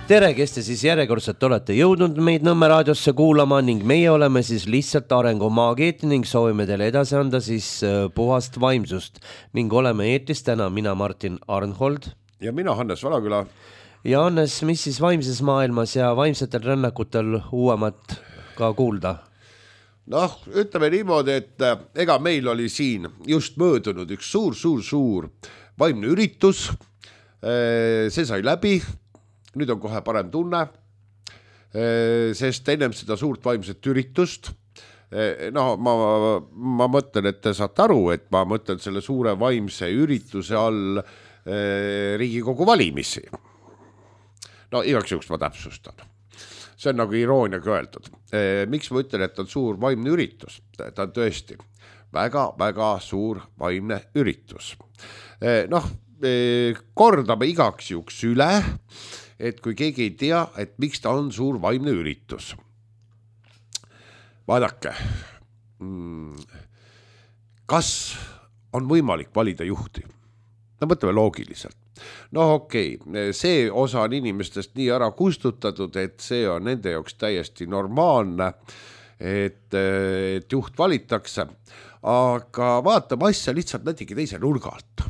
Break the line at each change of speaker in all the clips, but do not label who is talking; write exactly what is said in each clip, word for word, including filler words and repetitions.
tere, kes te siis järjekordselt olete jõudnud meid Nõmme raadiosse kuulama ning meie oleme siis lihtsalt arengumaagiid ning soovime teile edasi anda siis puhast vaimsust ning oleme eetris täna mina Martin Arnhold
ja mina Hannes Valaküla.
Ja Hannes, mis siis vaimses maailmas ja vaimsetel rännakutel uuemat ka kuulda?
Noh, ütleme niimoodi, et ega meil oli siin just möödunud üks suur, suur, suur vaimne üritus. See sai läbi. Nüüd on kohe parem tunne, sest ennem seda suurt vaimset üritust, no ma, ma mõtlen, et te saate aru, et ma mõtlen selle suure vaimse ürituse all Riigikogu valimisi. No igaks juhuks ma täpsustan. See on nagu irooniaga öeldud. Miks ma ütlen, et on suur vaimne üritus? Ta on tõesti väga, väga suur vaimne üritus. Noh, kordame igaks juhuks üle, et kui keegi ei tea, et miks ta on suur vaimne üritus. Vaadake, kas on võimalik valida juhti? No mõtleme loogiliselt. No okei, see osa on inimestest nii ära kustutatud, et see on nende jaoks täiesti normaalne, et, et juht valitakse, aga vaatame asja lihtsalt natuke teise nurga alt.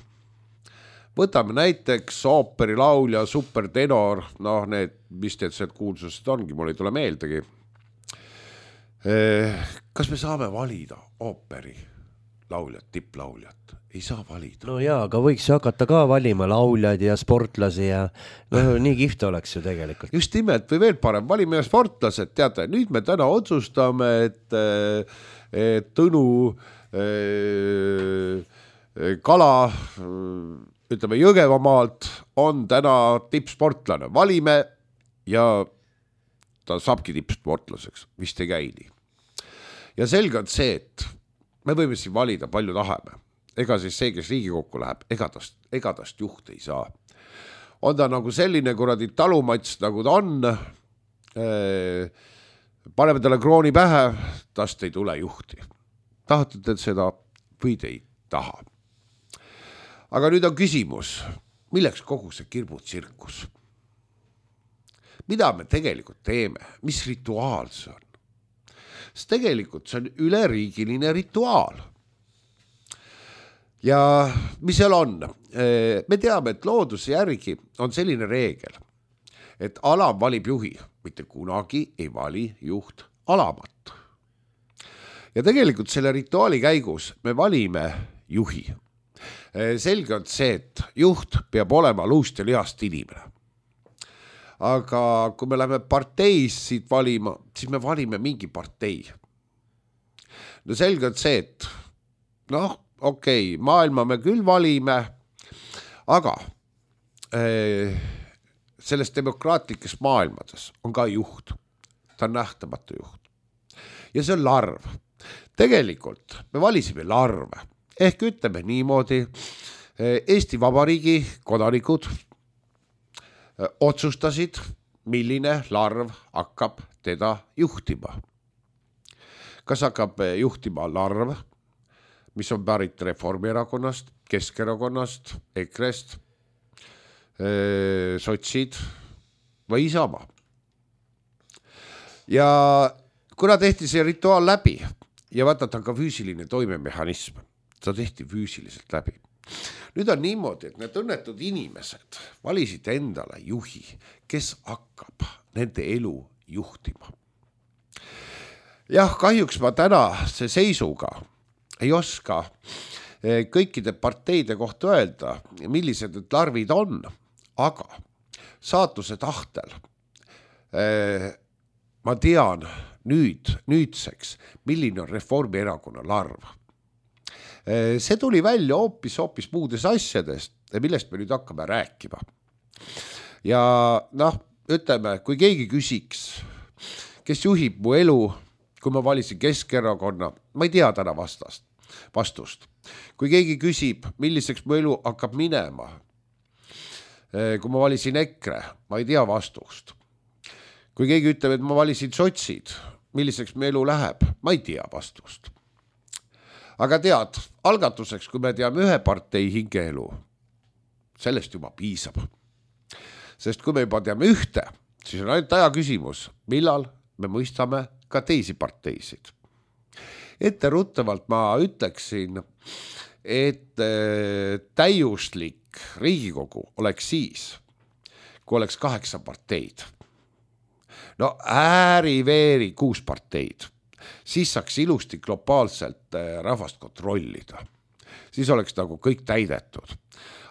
Võtame näiteks ooperilaulja, supertenor, noh need, mis need sealt kuulsused ongi, mul ei tule meeldegi. Kas me saame valida ooperi lauljat, tipplauljat? Ei saa valida.
No jaa, aga võiks hakata ka valima lauljad ja sportlasi ja no, nii kihvt oleks ju tegelikult.
Just nimelt või veel parem, valime sportlased, teate, nüüd me täna otsustame, et, et Tõnu Kala ütleme Jõgevamaalt on täna tippsportlane. Valime ja ta saabki tippsportlaseks, vist ei käi nii. Ja selge on see, et me võime siin valida palju tahame. Ega siis see, kes Riigikokku läheb, ega tast, ega tast juht ei saa. On ta nagu selline kuradi talumats, nagu ta on. Paneme talle krooni pähe, tast ei tule juhti. Tahate te seda või te ei taha? Aga nüüd on küsimus, milleks kogu see kirbutsirkus? Mida me tegelikult teeme? Mis rituaal see on? Sest tegelikult see on üleriigiline rituaal. Ja mis seal on? Me teame, et looduse järgi on selline reegel, et alam valib juhi, mitte kunagi ei vali juht alamat. Ja tegelikult selle rituaali käigus me valime juhi. Selge on see, et juht peab olema luust ja lihast inimene. Aga kui me läheme parteis siit valima, siis me valime mingi partei. No selge on see, et noh, okei, okay, maailma me küll valime, aga eh, selles demokraatlikes maailmades on ka juht. Ta on nähtamatu juht. Ja see on larv. Tegelikult me valisime larve. Ehk ütleme niimoodi, Eesti Vabariigi kodanikud otsustasid, milline larv hakkab teda juhtima. Kas hakkab juhtima larv, mis on pärit Reformierakonnast, Keskerakonnast, Ekrest, sotsid või Isamaa. Ja kuna tehti see rituaal läbi ja vaata, ta on ka füüsiline toimemehhanism, ta tehti füüsiliselt läbi. Nüüd on niimoodi, et need õnnetud inimesed valisid endale juhi, kes hakkab nende elu juhtima. Jah, kahjuks ma täna see seisuga ei oska kõikide parteide kohta öelda, millised need larvid on, aga saatuse tahtel ma tean nüüd, nüüdseks, milline on Reformierakonna larv. See tuli välja hoopis, hoopis muudes asjadest, millest me nüüd hakkame rääkima. Ja noh, ütleme, kui keegi küsiks, kes juhib mu elu, kui ma valisin Keskerakonna, ma ei tea täna vastast, vastust. Kui keegi küsib, milliseks mu elu hakkab minema, kui ma valisin EKRE, ma ei tea vastust. Kui keegi ütleb, et ma valisin sotsid, milliseks mu elu läheb, ma ei tea vastust. Aga tead, algatuseks, kui me teame ühe partei hingeelu, sellest juba piisab. Sest kui me juba teame ühte, siis on ainult aja küsimus, millal me mõistame ka teisi parteisid. Etteruttavalt ma ütleksin, et täiuslik Riigikogu oleks siis, kui oleks kaheksa parteid. No ääri-veeri kuus parteid. Siis saaks ilusti globaalselt rahvast kontrollida. Siis oleks nagu kõik täidetud.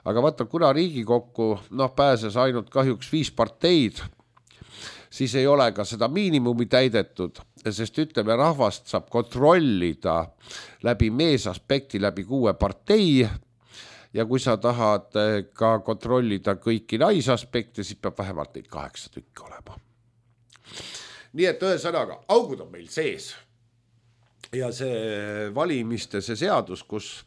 Aga vaata, kuna Riigikokku noh, pääses ainult kahjuks viis parteid, siis ei ole ka seda miinimumi täidetud, sest ütleme, rahvast saab kontrollida läbi meesaspekti, läbi kuue partei ja kui sa tahad ka kontrollida kõiki naisaspekte, siis peab vähemalt neid kaheksa tükki olema. Nii et ühesõnaga, augud on meil sees ja see valimiste see seadus, kus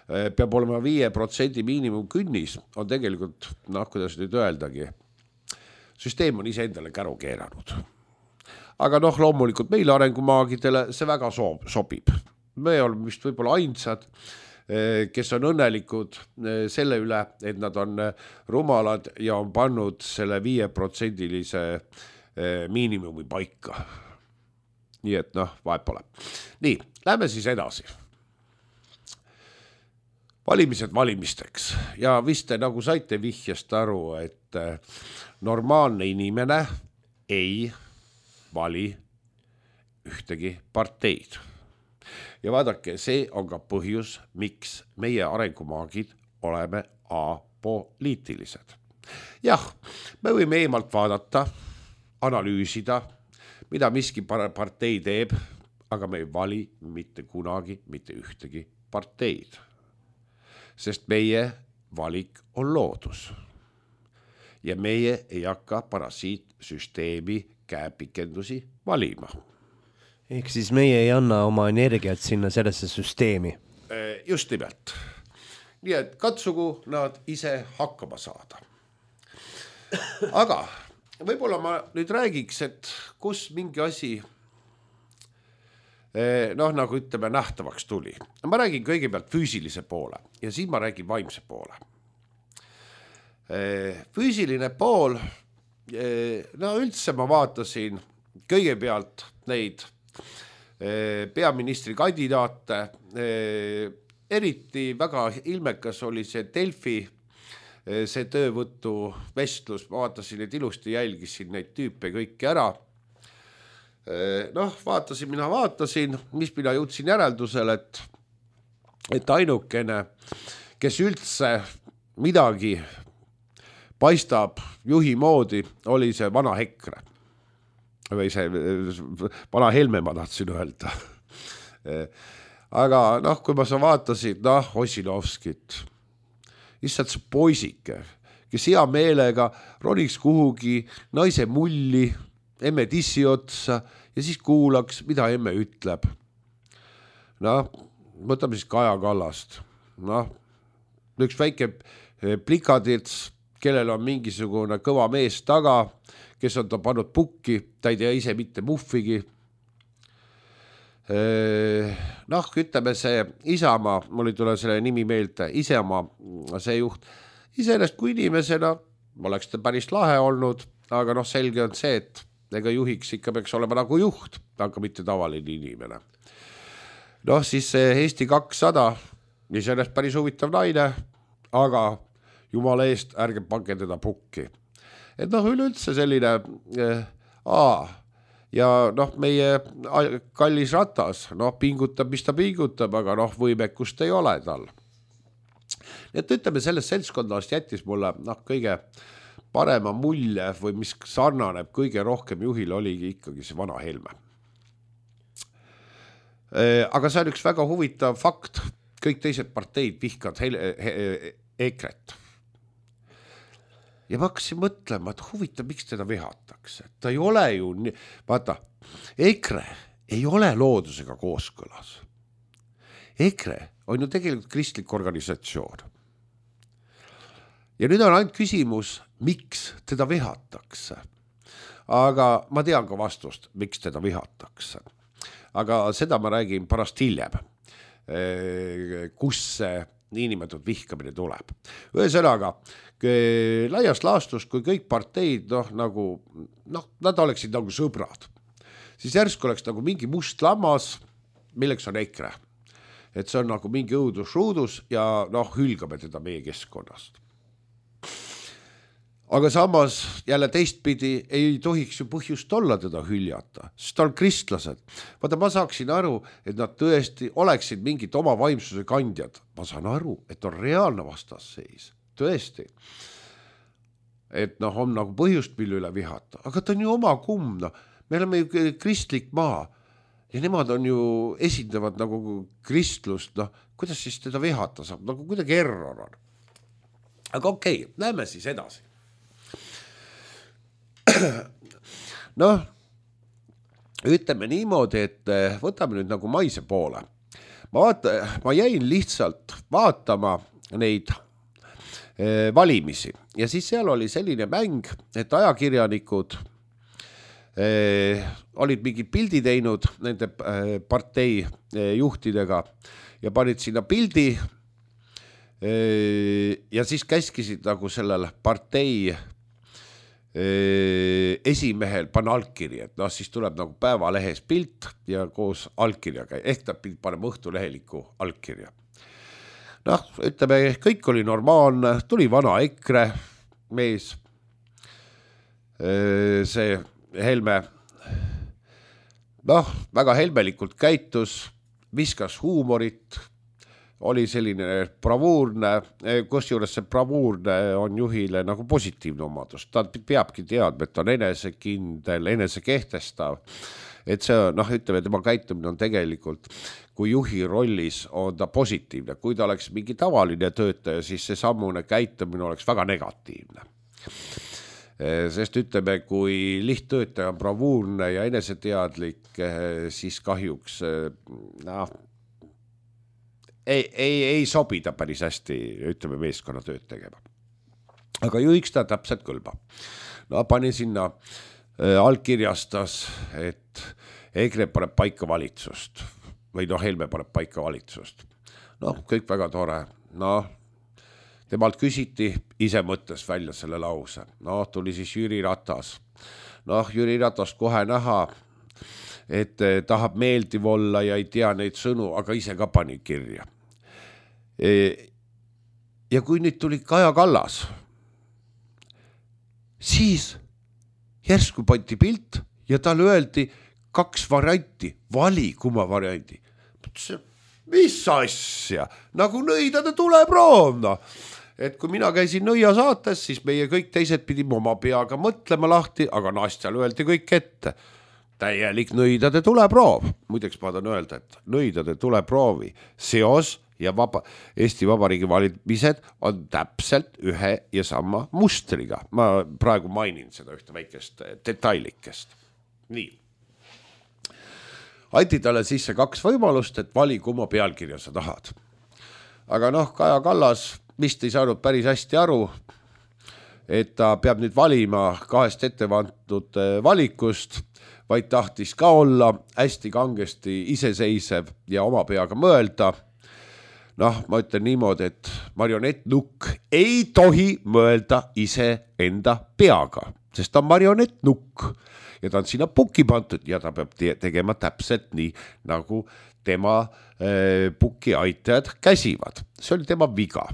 peab olema viie protsendi miinimum künnis, on tegelikult, noh, kuidas nüüd öeldagi, süsteem on ise endale käru keeranud. Aga noh, loomulikult meile arengumaagidele see väga sobib. Me oleme vist võib-olla ainsad, kes on õnnelikud selle üle, et nad on rumalad ja on pannud selle viie protsendilise miinimumi paika. Nii et noh, vahet pole. Nii, lähme siis edasi. Valimised valimisteks ja vist te nagu saite vihjast aru, et normaalne inimene ei vali ühtegi parteid. Ja vaadake, see on ka põhjus, miks meie arengumaagid oleme apoliitilised. Jah, me võime eemalt vaadata, analüüsida, mida miski partei teeb, aga me ei vali mitte kunagi mitte ühtegi parteid. Sest meie valik on loodus. Ja meie ei hakka parasiitsüsteemi käepikendusi valima.
Ehk siis meie ei anna oma energiat sinna sellesse süsteemi.
Just nimelt. Nii et katsugu nad ise hakkama saada. Aga võib-olla ma nüüd räägiks, et kus mingi asi noh, nagu ütleme, nähtavaks tuli. Ma räägin kõigepealt füüsilise poole ja siin ma räägin vaimse poole. Füüsiline pool, no üldse ma vaatasin kõigepealt neid peaministri kandidaate, eriti väga ilmekas oli see Delfi, see töövõttu vestlus, ma vaatasin, et ilusti jälgisin neid tüüpe kõiki ära. Noh, vaatasin, mina vaatasin, mis mina jõudsin järeldusel, et, et ainukene, kes üldse midagi paistab juhi moodi, oli see vana Hekre. Või see vana Helme, ma tahtsin öelda. Aga noh, kui ma sa vaatasin, noh, Ossinovskit, lihtsalt see poisike, kes hea meelega roniks kuhugi naise mulli, emme tissi otsa ja siis kuulaks, mida emme ütleb. Noh, võtame siis Kaja Kallast. Noh, üks väike plikadits, kellel on mingisugune kõva mees taga, kes on ta pannud pukki, ta ei tea ise mitte muffigi. Noh, ütleme see Isamaa, mul ei tule selle nimi meelde, Isamaa see juht, iseenesest kui inimesena oleks ta päris lahe olnud, aga noh, selge on see, et ega juhiks ikka peaks olema nagu juht, aga mitte tavaline inimene. Noh, siis see Eesti kakssada, iseenesest päris huvitav naine, aga jumala eest ärge pange teda pukki. Et noh, üleüldse selline äh, aa, ja noh, meie kallis Ratas, noh, pingutab, mis ta pingutab, aga noh, võimekust ei ole tal. Et ütleme, sellest seltskonnast jättis mulle noh, kõige parema mulje või mis sarnaneb kõige rohkem juhil oligi ikkagi see vana Helme. Aga see on üks väga huvitav fakt, kõik teised parteid vihkad Ekret. Ja ma hakkasin mõtlema, et huvitav, miks teda vihatakse. Ta ei ole ju, vaata, Ekre ei ole loodusega kooskõlas. Ekre on ju tegelikult kristlik organisatsioon. Ja nüüd on ainult küsimus, miks teda vihatakse. Aga ma tean ka vastust, miks teda vihatakse. Aga seda ma räägin pärast hiljem, kus see niinimetatud vihkamine tuleb. Ühesõnaga, laias laastus, kui kõik parteid, noh, nagu, noh, nad oleksid nagu sõbrad, siis järsku oleks nagu mingi must lammas, milleks on EKRE. Et see on nagu mingi õudus-ruudus ja noh, hülgame teda meie keskkonnast. Aga samas jälle teistpidi ei tohiks ju põhjust olla teda hüljata, sest ta on kristlased. Vaata, ma saaksin aru, et nad tõesti oleksid mingid oma vaimsuse kandjad. Ma saan aru, et on reaalne vastasseis, tõesti. Et noh, on nagu põhjust mille üle vihata, aga ta on ju oma kumm, no. Me oleme ju kristlik maa ja nemad on ju esindavad nagu kristlust, noh, kuidas siis teda vihata saab, nagu kuidagi error on. Aga okei, okay, näeme siis edasi. Noh, ütleme niimoodi, et võtame nüüd nagu maise poole. Ma, vaata, ma jäin lihtsalt vaatama neid eh, valimisi ja siis seal oli selline mäng, et ajakirjanikud eh, olid mingid pildi teinud nende eh, partei eh, juhtidega ja panid sinna pildi eh, ja siis käskisid nagu sellel partei esimehel pan allkiri, et noh, siis tuleb nagu päevalehes pilt ja koos allkirjaga, ehk ta paneb õhtuleheliku allkirja. Noh, ütleme, kõik oli normaalne, tuli vana EKRE mees, see Helme, noh, väga helmelikult käitus, viskas huumorit, oli selline bravuurne, kus juures see bravuurne on juhile nagu positiivne omadus. Ta peabki teadma, et ta on enesekindel, enesekehtestav. Et see, noh, ütleme, tema käitumine on tegelikult, kui juhi rollis on ta positiivne. Kui ta oleks mingi tavaline töötaja, siis see sammune käitumine oleks väga negatiivne. Sest ütleme, kui lihttöötaja on bravuurne ja eneseteadlik, siis kahjuks, noh, Ei, ei, ei sobida päris hästi, ütleme, meeskonna tööd tegema. Aga juhiks ta täpselt kõlba. No pani sinna äh, allkirjastas, et EKRE paneb paika valitsust. Või noh, Helme paneb paika valitsust. Noh, kõik väga tore. Noh, temalt küsiti, ise mõttes välja selle lause. Noh, tuli siis Jüri Ratas. Noh, Jüri Ratast kohe näha, et eh, tahab meeldiv olla ja ei tea neid sõnu, aga ise ka pani kirja. Ja kui nüüd tuli Kaja Kallas, siis järsku pandi pilt ja talle öeldi kaks varianti, vali kumma varianti. Mis asja? Nagu nõidade tuleproov, no. Et kui mina käisin nõia saates, siis meie kõik teised pidime oma peaga mõtlema lahti, aga Nastjal öeldi kõik ette. Täielik nõidade tuleproov. Muideks ma tahan öelda, et nõidade tuleproovi seos ja vaba, Eesti Vabariigi valimised on täpselt ühe ja sama mustriga. Ma praegu mainin seda ühte väikest detailikest. Nii. Aiti talle sisse kaks võimalust, et vali kumma pealkirja sa tahad. Aga noh, Kaja Kallas vist ei saanud päris hästi aru, et ta peab nüüd valima kahest ettevantud valikust, vaid tahtis ka olla hästi kangesti iseseisev ja oma peaga mõelda. Noh, ma ütlen niimoodi, et marionettnukk ei tohi mõelda ise enda peaga, sest ta on marionettnukk ja ta on sinna puki pantud ja ta peab tegema täpselt nii, nagu tema äh, puki aitajad käsivad. See oli tema viga.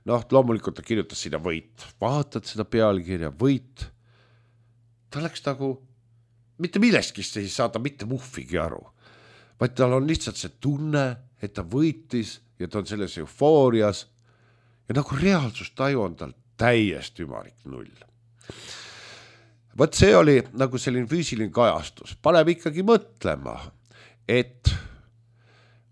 Noh, loomulikult ta kirjutas sinna võit. Vaatad seda pealkirja, võit. Ta läks nagu, mitte millestki ei saada mitte muhvigi aru, vaid tal on lihtsalt see tunne, et ta võitis ja ta on selles eufoorias ja nagu reaalsustaju on tal täiesti ümarik null. Võt see oli nagu selline füüsiline kajastus. Paneb ikkagi mõtlema, et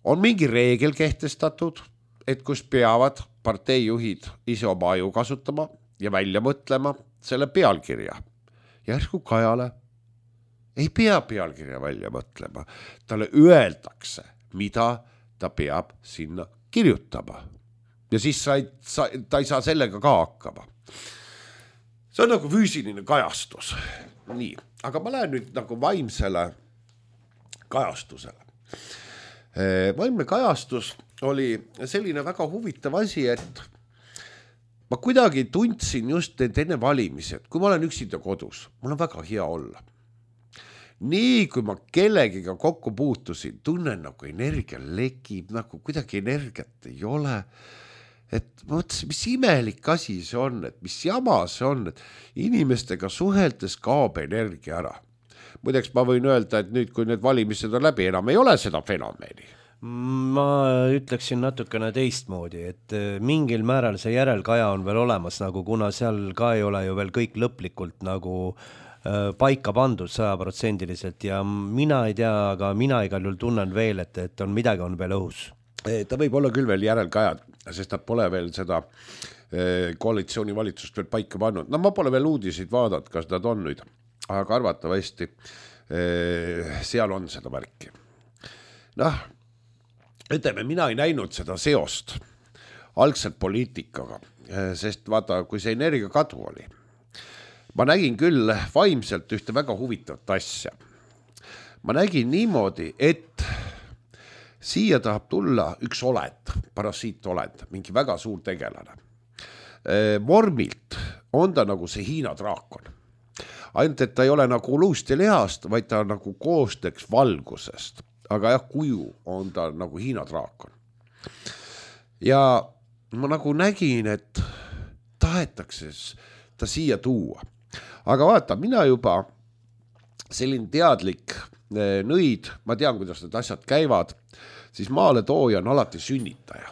on mingi reegel kehtestatud, et kus peavad parteijuhid ise oma aju kasutama ja välja mõtlema selle pealkirja. Järsku Kajale ei pea pealkirja välja mõtlema. Talle öeldakse, mida ta peab sinna kirjutama. Ja siis sa ei, sa, ta ei saa sellega ka hakkama. See on nagu füüsiline kajastus. Nii, aga ma lähen nüüd nagu vaimsele kajastusele. Vaimne kajastus oli selline väga huvitav asi, et ma kuidagi tundsin just enne valimisi, et kui ma olen üksinda kodus, mul on väga hea olla. Nii kui ma kellegiga kokku puutusin, tunnen nagu energia lekib, nagu kuidagi energiat ei ole. Et ma mõtlesin, mis imelik asi see on, et mis jama see on, et inimestega suheldes kaob energia ära. Muideks ma võin öelda, et nüüd, kui need valimised on läbi, enam ei ole seda fenomeni.
Ma ütleksin natukene teistmoodi, et mingil määral see järelkaja on veel olemas, nagu kuna seal ka ei ole ju veel kõik lõplikult nagu paika pandud sajaprotsendiliselt ja mina ei tea, aga mina igal juhul tunnen veel, et, et on midagi on veel õhus.
Ta võib olla küll veel järelkajad, sest nad pole veel seda koalitsioonivalitsust veel paika pannud. No ma pole veel uudiseid vaadanud, kas nad on nüüd, aga arvatavasti seal on seda märki. Noh, ütleme, mina ei näinud seda seost algselt poliitikaga, sest vaata, kui see energia kadu oli, ma nägin küll vaimselt ühte väga huvitavat asja. Ma nägin niimoodi, et siia tahab tulla üks olend, parasiit olend, mingi väga suur tegelane. Vormilt on ta nagu see Hiina draakon. Ainult, et ta ei ole nagu luust ja lihast, vaid ta nagu koosteks valgusest. Aga jah, kuju on ta nagu Hiina draakon. Ja ma nagu nägin, et tahetakse ta siia tuua. Aga vaata, mina juba selline teadlik nõid, ma tean, kuidas need asjad käivad, siis maale tooja on alati sünnitaja.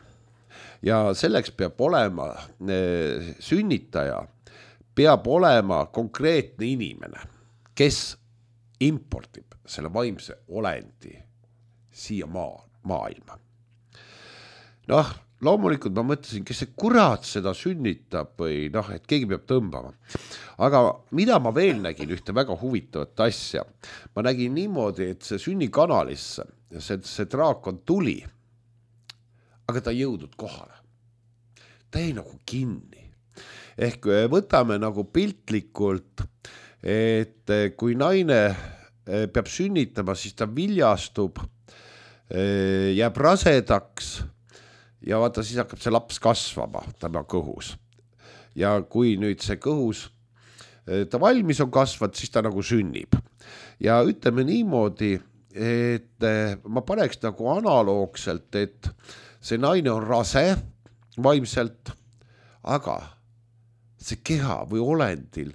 Ja selleks peab olema sünnitaja, peab olema konkreetne inimene, kes importib selle vaimse olendi siia maa, maailma. Noh, loomulikult ma mõtlesin, kes see kurat seda sünnitab või noh, et keegi peab tõmbama. Aga mida ma veel nägin ühte väga huvitavat asja? Ma nägin niimoodi, et see sünnikanalisse, see, see draakon tuli, aga ta ei jõudnud kohale. Ta ei nagu kinni. Ehk võtame nagu piltlikult, et kui naine peab sünnitama, siis ta viljastub, jääb rasedaks, ja vaata, siis hakkab see laps kasvama tema kõhus. Ja kui nüüd see kõhus, ta valmis on kasvad, siis ta nagu sünnib. Ja ütleme niimoodi, et ma paneks nagu analoogselt, et see naine on rase vaimselt, aga see keha või olendil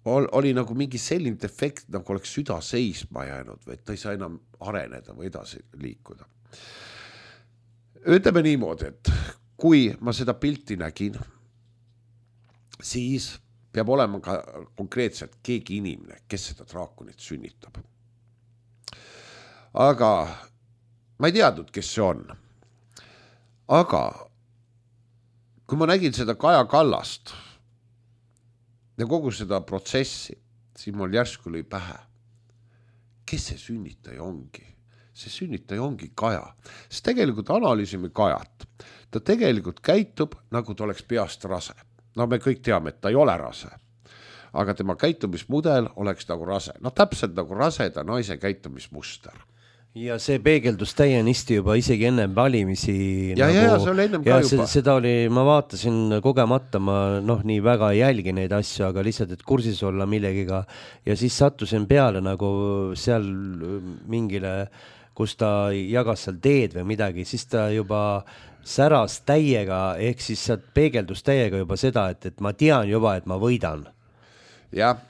oli nagu mingi selline defekt, nagu oleks süda seisma jäänud või et ta ei saa enam areneda või edasi liikuda. Ütleme niimoodi, et kui ma seda pilti nägin, siis peab olema ka konkreetselt keegi inimene, kes seda draakonit sünnitab. Aga ma ei teadnud, kes see on. Aga kui ma nägin seda Kaja Kallast ja kogu seda protsessi, siis mul järsku lõi pähe. Kes see sünnitaja ongi? See sünnitaja ongi Kaja. Sest tegelikult analüüsime Kajat. Ta tegelikult käitub, nagu ta oleks peast rase. No me kõik teame, et ta ei ole rase. Aga tema käitumismudel oleks nagu rase. No täpselt nagu raseda naise käitumismuster.
Ja see peegeldus täienisti juba isegi enne valimisi.
Ja, nagu, ja, ja see oli ennem ka
ja
juba.
Seda oli, ma vaatasin kogemata, ma noh, nii väga ei jälgi neid asju, aga lihtsalt, et kursis olla millegiga. Ja siis sattusin peale nagu seal mingile, kus ta jagas seal teed või midagi, siis ta juba säras täiega, ehk siis sealt peegeldus täiega juba seda, et, et ma tean juba, et ma võidan.
Jah,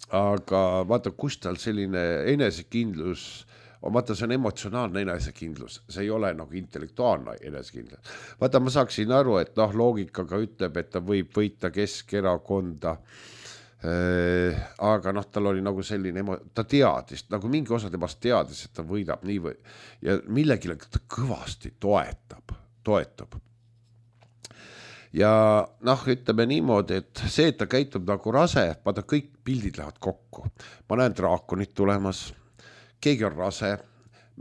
aga vaata, kus tal selline enesekindlus, vaata, see on emotsionaalne enesekindlus, see ei ole nagu intellektuaalne enesekindlus. Vaata, ma saaksin aru, et noh, loogikaga ütleb, et ta võib võita Keskerakonda, äh, aga noh, tal oli nagu selline, emo... ta teadis, nagu mingi osa temast teadis, et ta võidab nii või, ja millegile ta kõvasti toetab, toetab. Ja noh, ütleme niimoodi, et see, et ta käitub nagu rase, vaata, kõik pildid lähevad kokku. Ma näen draakonit tulemas, keegi on rase,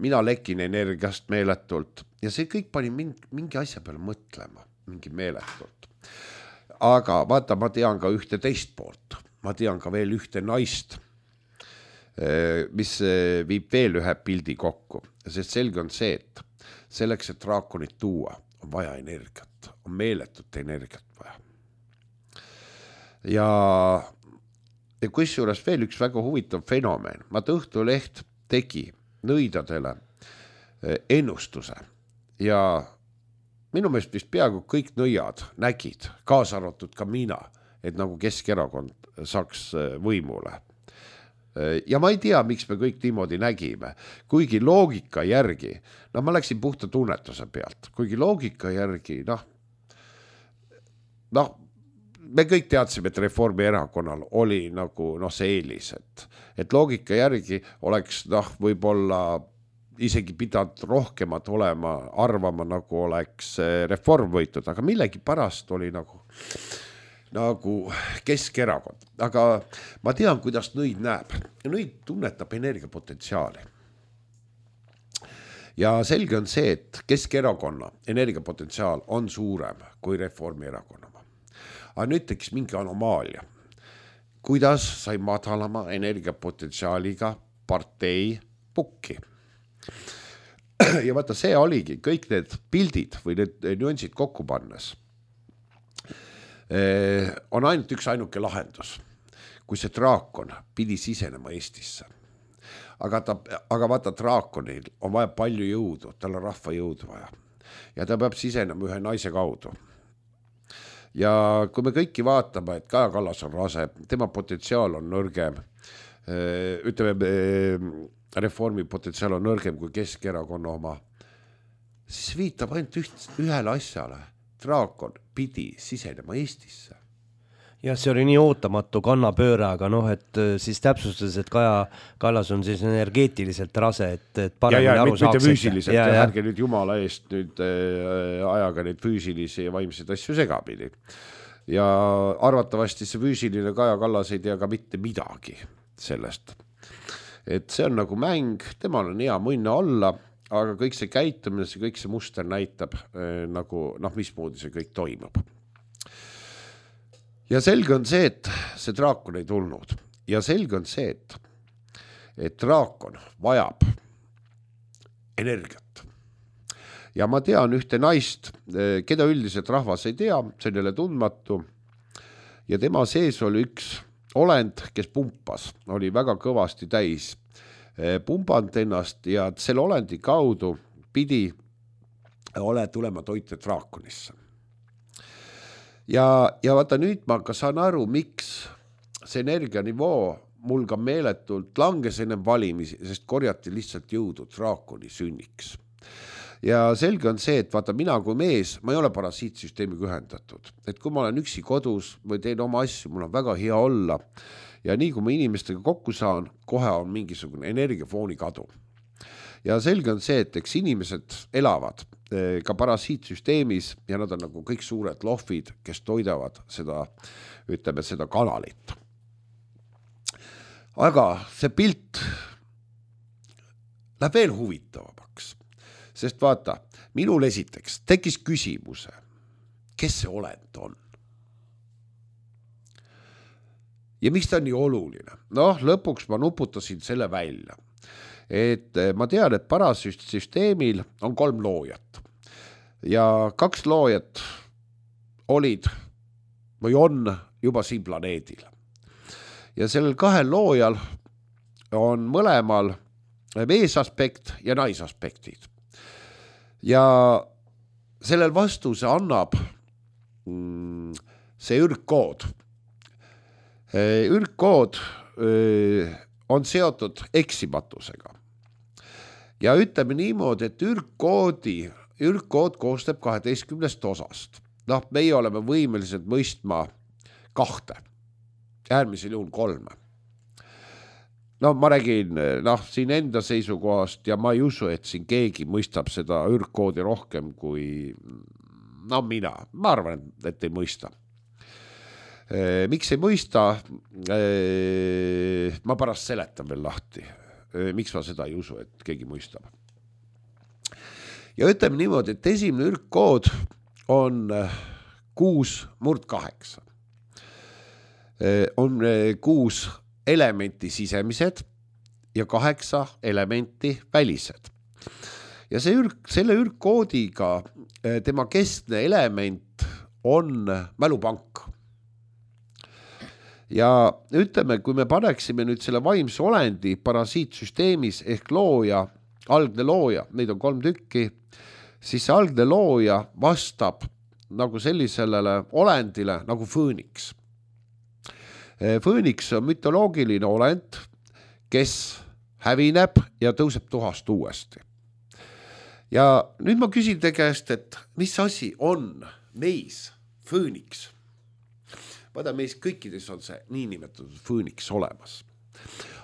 mina lekin energiast meeletult ja see kõik pani mingi, mingi asja peale mõtlema, mingi meeletult. Aga vaata, ma tean ka ühte teist poolt, ma tean ka veel ühte naist, mis viib veel ühe pildi kokku, sest selge on see, et selleks, et draakonit tuua, on vaja energiat, on meeletut energiat vaja. Ja, ja kusjuures veel üks väga huvitav fenomen. Vaata Õhtuleht tegi nõidadele ennustuse ja minu meelest vist peaaegu kõik nõiad nägid, kaasa arvatud ka mina, et nagu Keskerakond saaks võimule. Ja ma ei tea, miks me kõik niimoodi nägime, kuigi loogika järgi, no ma läksin puhta tunnetuse pealt, kuigi loogika järgi, noh, noh, me kõik teadsime, et Reformierakonnal oli nagu noh, see eelis, et, et loogika järgi oleks noh, võib-olla isegi pidanud rohkemat olema, arvama nagu oleks Reform võitud, aga millegi pärast oli nagu, nagu Keskerakond. Aga ma tean, kuidas nõid näeb. Nõid tunnetab energiapotentsiaali. Ja selge on see, et Keskerakonna energiapotentsiaal on suurem kui Reformierakonna. Aga nüüd tekkis mingi anomaalia. Kuidas sai madalama energiapotentsiaaliga partei pukki? Ja vaata, see oligi kõik need pildid või need nüansid kokku pannes. On ainult üks ainuke lahendus, kui see draakon pidi sisenema Eestisse. Aga, ta, aga vaata, draakonil on vaja palju jõudu, tal on rahva jõudu vaja. Ja ta peab sisenema ühe naise kaudu. Ja kui me kõiki vaatame, et Kaja Kallas on rase, tema potentsiaal on nõrgem, ütleme, Reformi potentsiaal on nõrgem kui Keskerakonna oma, siis viitab ainult üht, ühele asjale. Draakon pidi sisenema Eestisse.
Ja see oli nii ootamatu kannapööre, aga noh, et siis täpsustas, et Kaja Kallas on siis energeetiliselt rase, et, et paremini aru saaks.
Mitte füüsiliselt, ja, ja ärge nüüd jumala eest nüüd äh, ajaga neid füüsilisi ja vaimseid asju segapidi. Ja arvatavasti see füüsiline Kaja Kallas ei tea ka mitte midagi sellest. Et see on nagu mäng, temal on hea mõnna olla, aga kõik see käitumine, see kõik see muster näitab äh, nagu, noh, mismoodi see kõik toimub. Ja selge on see, et see draakon ei tulnud. Ja selge on see, et, et draakon vajab energiat. Ja ma tean ühte naist, keda üldiselt rahvas ei tea, see on jälle tundmatu. Ja tema sees oli üks olend, kes pumpas, oli väga kõvasti täis pumpanud ennast ja selle olendi kaudu pidi ole tulema toite draakonisse. Ja, ja vaata nüüd ma ka saan aru, miks see energianivoo mul ka meeletult langes ennem valimisi, sest korjati lihtsalt jõudu draakoni sünniks. Ja selge on see, et vaata mina kui mees, ma ei ole parasiitsüsteemiga ühendatud. Et kui ma olen üksi kodus või teen oma asju, mul on väga hea olla. Ja nii kui ma inimestega kokku saan, kohe on mingisugune energiafooni kadu. Ja selge on see, et eks inimesed elavad ka parasiitsüsteemis ja nad on nagu kõik suured lohvid, kes toidavad seda, ütleme, seda kanalit. Aga see pilt läheb veel huvitavamaks, sest vaata, minul esiteks tekkis küsimuse, kes see olend on? Ja miks ta on nii oluline? Noh, lõpuks ma nuputasin selle välja. Et ma tean, et parasüsteemil on kolm loojat ja kaks loojat olid või on juba siin planeedil. Ja sellel kahel loojal on mõlemal meesaspekt ja naisaspektid. Ja sellel vastuse annab see ürgkood. Ürgkood on seotud eksimatusega. Ja ütleme niimoodi, et ürgkoodi, ürgkood koostab kaheteistkümnest osast. Noh, meie oleme võimelised mõistma kahte, äärmisel juhul kolme. No ma räägin noh, siin enda seisukohast ja ma ei usu, et siin keegi mõistab seda ürgkoodi rohkem kui no mina. Ma arvan, et ei mõista. Miks ei mõista? Ma pärast seletan veel lahti. Miks ma seda ei usu, et keegi mõistab. Ja ütleme niimoodi, et esimene ürgkood on kuus murd kaheksa. On kuus elementi sisemised ja kaheksa elementi välised. ja see ürg, selle ürgkoodiga tema keskne element on mälupank. Ja ütleme, kui me paneksime nüüd selle vaimse olendi parasiitsüsteemis ehk looja, algne looja, neid on kolm tükki, siis see algne looja vastab nagu sellisele olendile nagu fööniks. Fööniks on mütoloogiline olend, kes hävineb ja tõuseb tuhast uuesti. Ja nüüd ma küsin te käest, et mis asi on meis fööniks? Vaata, meis kõikides on see niinimetatud fööniks olemas.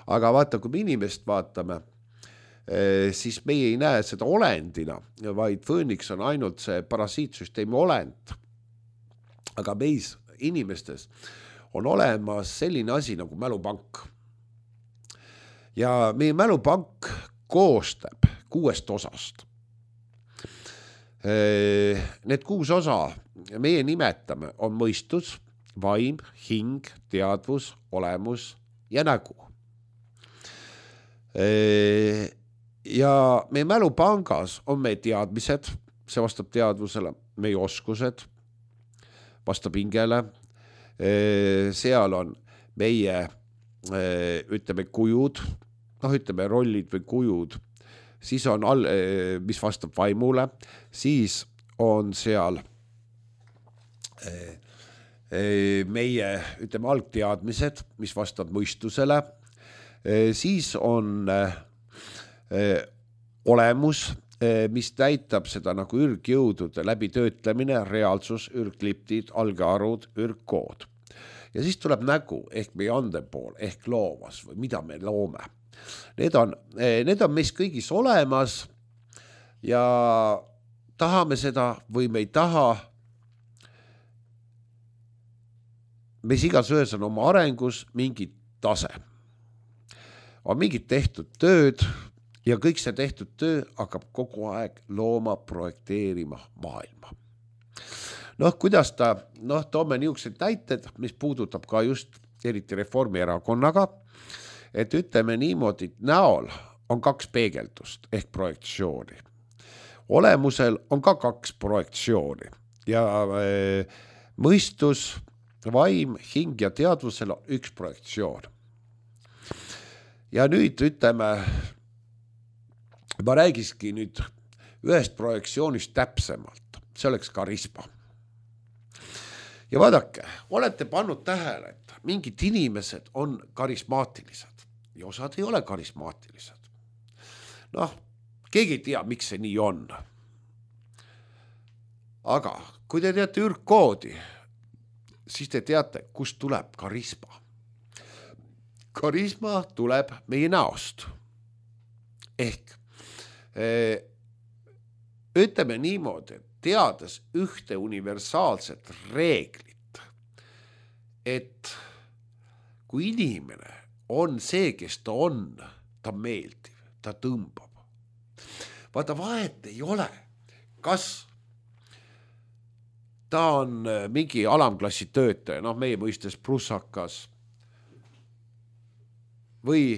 Aga vaata, kui me inimest vaatame, siis meie ei näe seda olendina, vaid fööniks on ainult see parasiitsüsteemi olend. Aga meis inimestes on olemas selline asi nagu mälupank. Ja meie mälupank koostab kuuest osast. Need kuus osa meie nimetame on mõistus, vaim, hing, teadvus, olemus ja nägu. Ja meie mälupangas on meie teadmised, see vastab teadvusele, meie oskused, vastab hingele, seal on meie, ütleme, kujud, noh, ütleme, rollid või kujud, siis on, all, mis vastab vaimule, siis on seal meie, ütleme, algteadmised, mis vastab mõistusele, siis on olemus, mis näitab seda nagu ürgjõudude läbi töötlemine, reaalsus, ürgliptid, algearud, ürgkood. Ja siis tuleb nägu ehk meie andepool ehk loovas või mida me loome. Need on, need on meis kõigis olemas ja tahame seda või me ei taha. Meis igas ühes on oma arengus mingi tase. On mingid tehtud tööd ja kõik see tehtud töö hakkab kogu aeg looma, projekteerima maailma. Noh, kuidas ta, noh, toome niisugused näited, mis puudutab ka just eriti Reformierakonnaga, et ütleme niimoodi, näol on kaks peegeldust ehk projektsiooni. Olemusel on ka kaks projektsiooni ja e, mõistus, vaim, hing ja teadvusel on üks projektsioon. Ja nüüd ütleme, ma räägiski nüüd ühest projektsioonist täpsemalt, see oleks karisma. Ja vaadake, olete pannud tähele, et mingid inimesed on karismaatilised ja osad ei ole karismaatilised. Noh, keegi ei tea, miks see nii on. Aga kui te teate ürgkoodi, siis te teate, kust tuleb karisma. Karisma tuleb meie näost. Ehk ütleme niimoodi, teades ühte universaalset reeglit, et kui inimene on see, kes ta on, ta meeldiv, ta tõmbab. Vaata, vahet ei ole, kas ta on mingi alamklassi töötaja, noh meie mõistes prussakas, või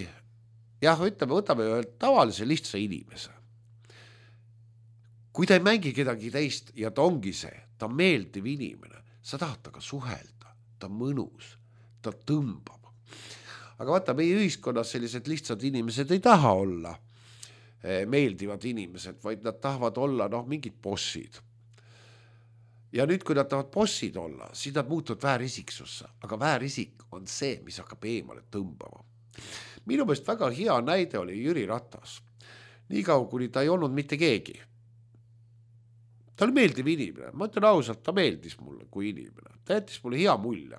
jah, ütleme, võtame ühe tavalise lihtsa inimese. Kui ta ei mängi kedagi teist ja ta ongi see, ta meeldiv inimene, sa tahad taga suhelda, ta mõnus, ta tõmbab. Aga vaata, meie ühiskonnas sellised lihtsad inimesed ei taha olla meeldivad inimesed, vaid nad tahavad olla noh, mingid bossid. Ja nüüd, kui nad tahavad bossid olla, siis nad muutuvad väärisiksusse, aga väärisik on see, mis hakkab eemale tõmbama. Minu meelest väga hea näide oli Jüri Ratas. Nii kaua, kuni ta ei olnud mitte keegi. Ta oli meeldiv inimene. Ma ütlen ausalt, ta meeldis mulle kui inimene. Ta jättis mulle hea mulje.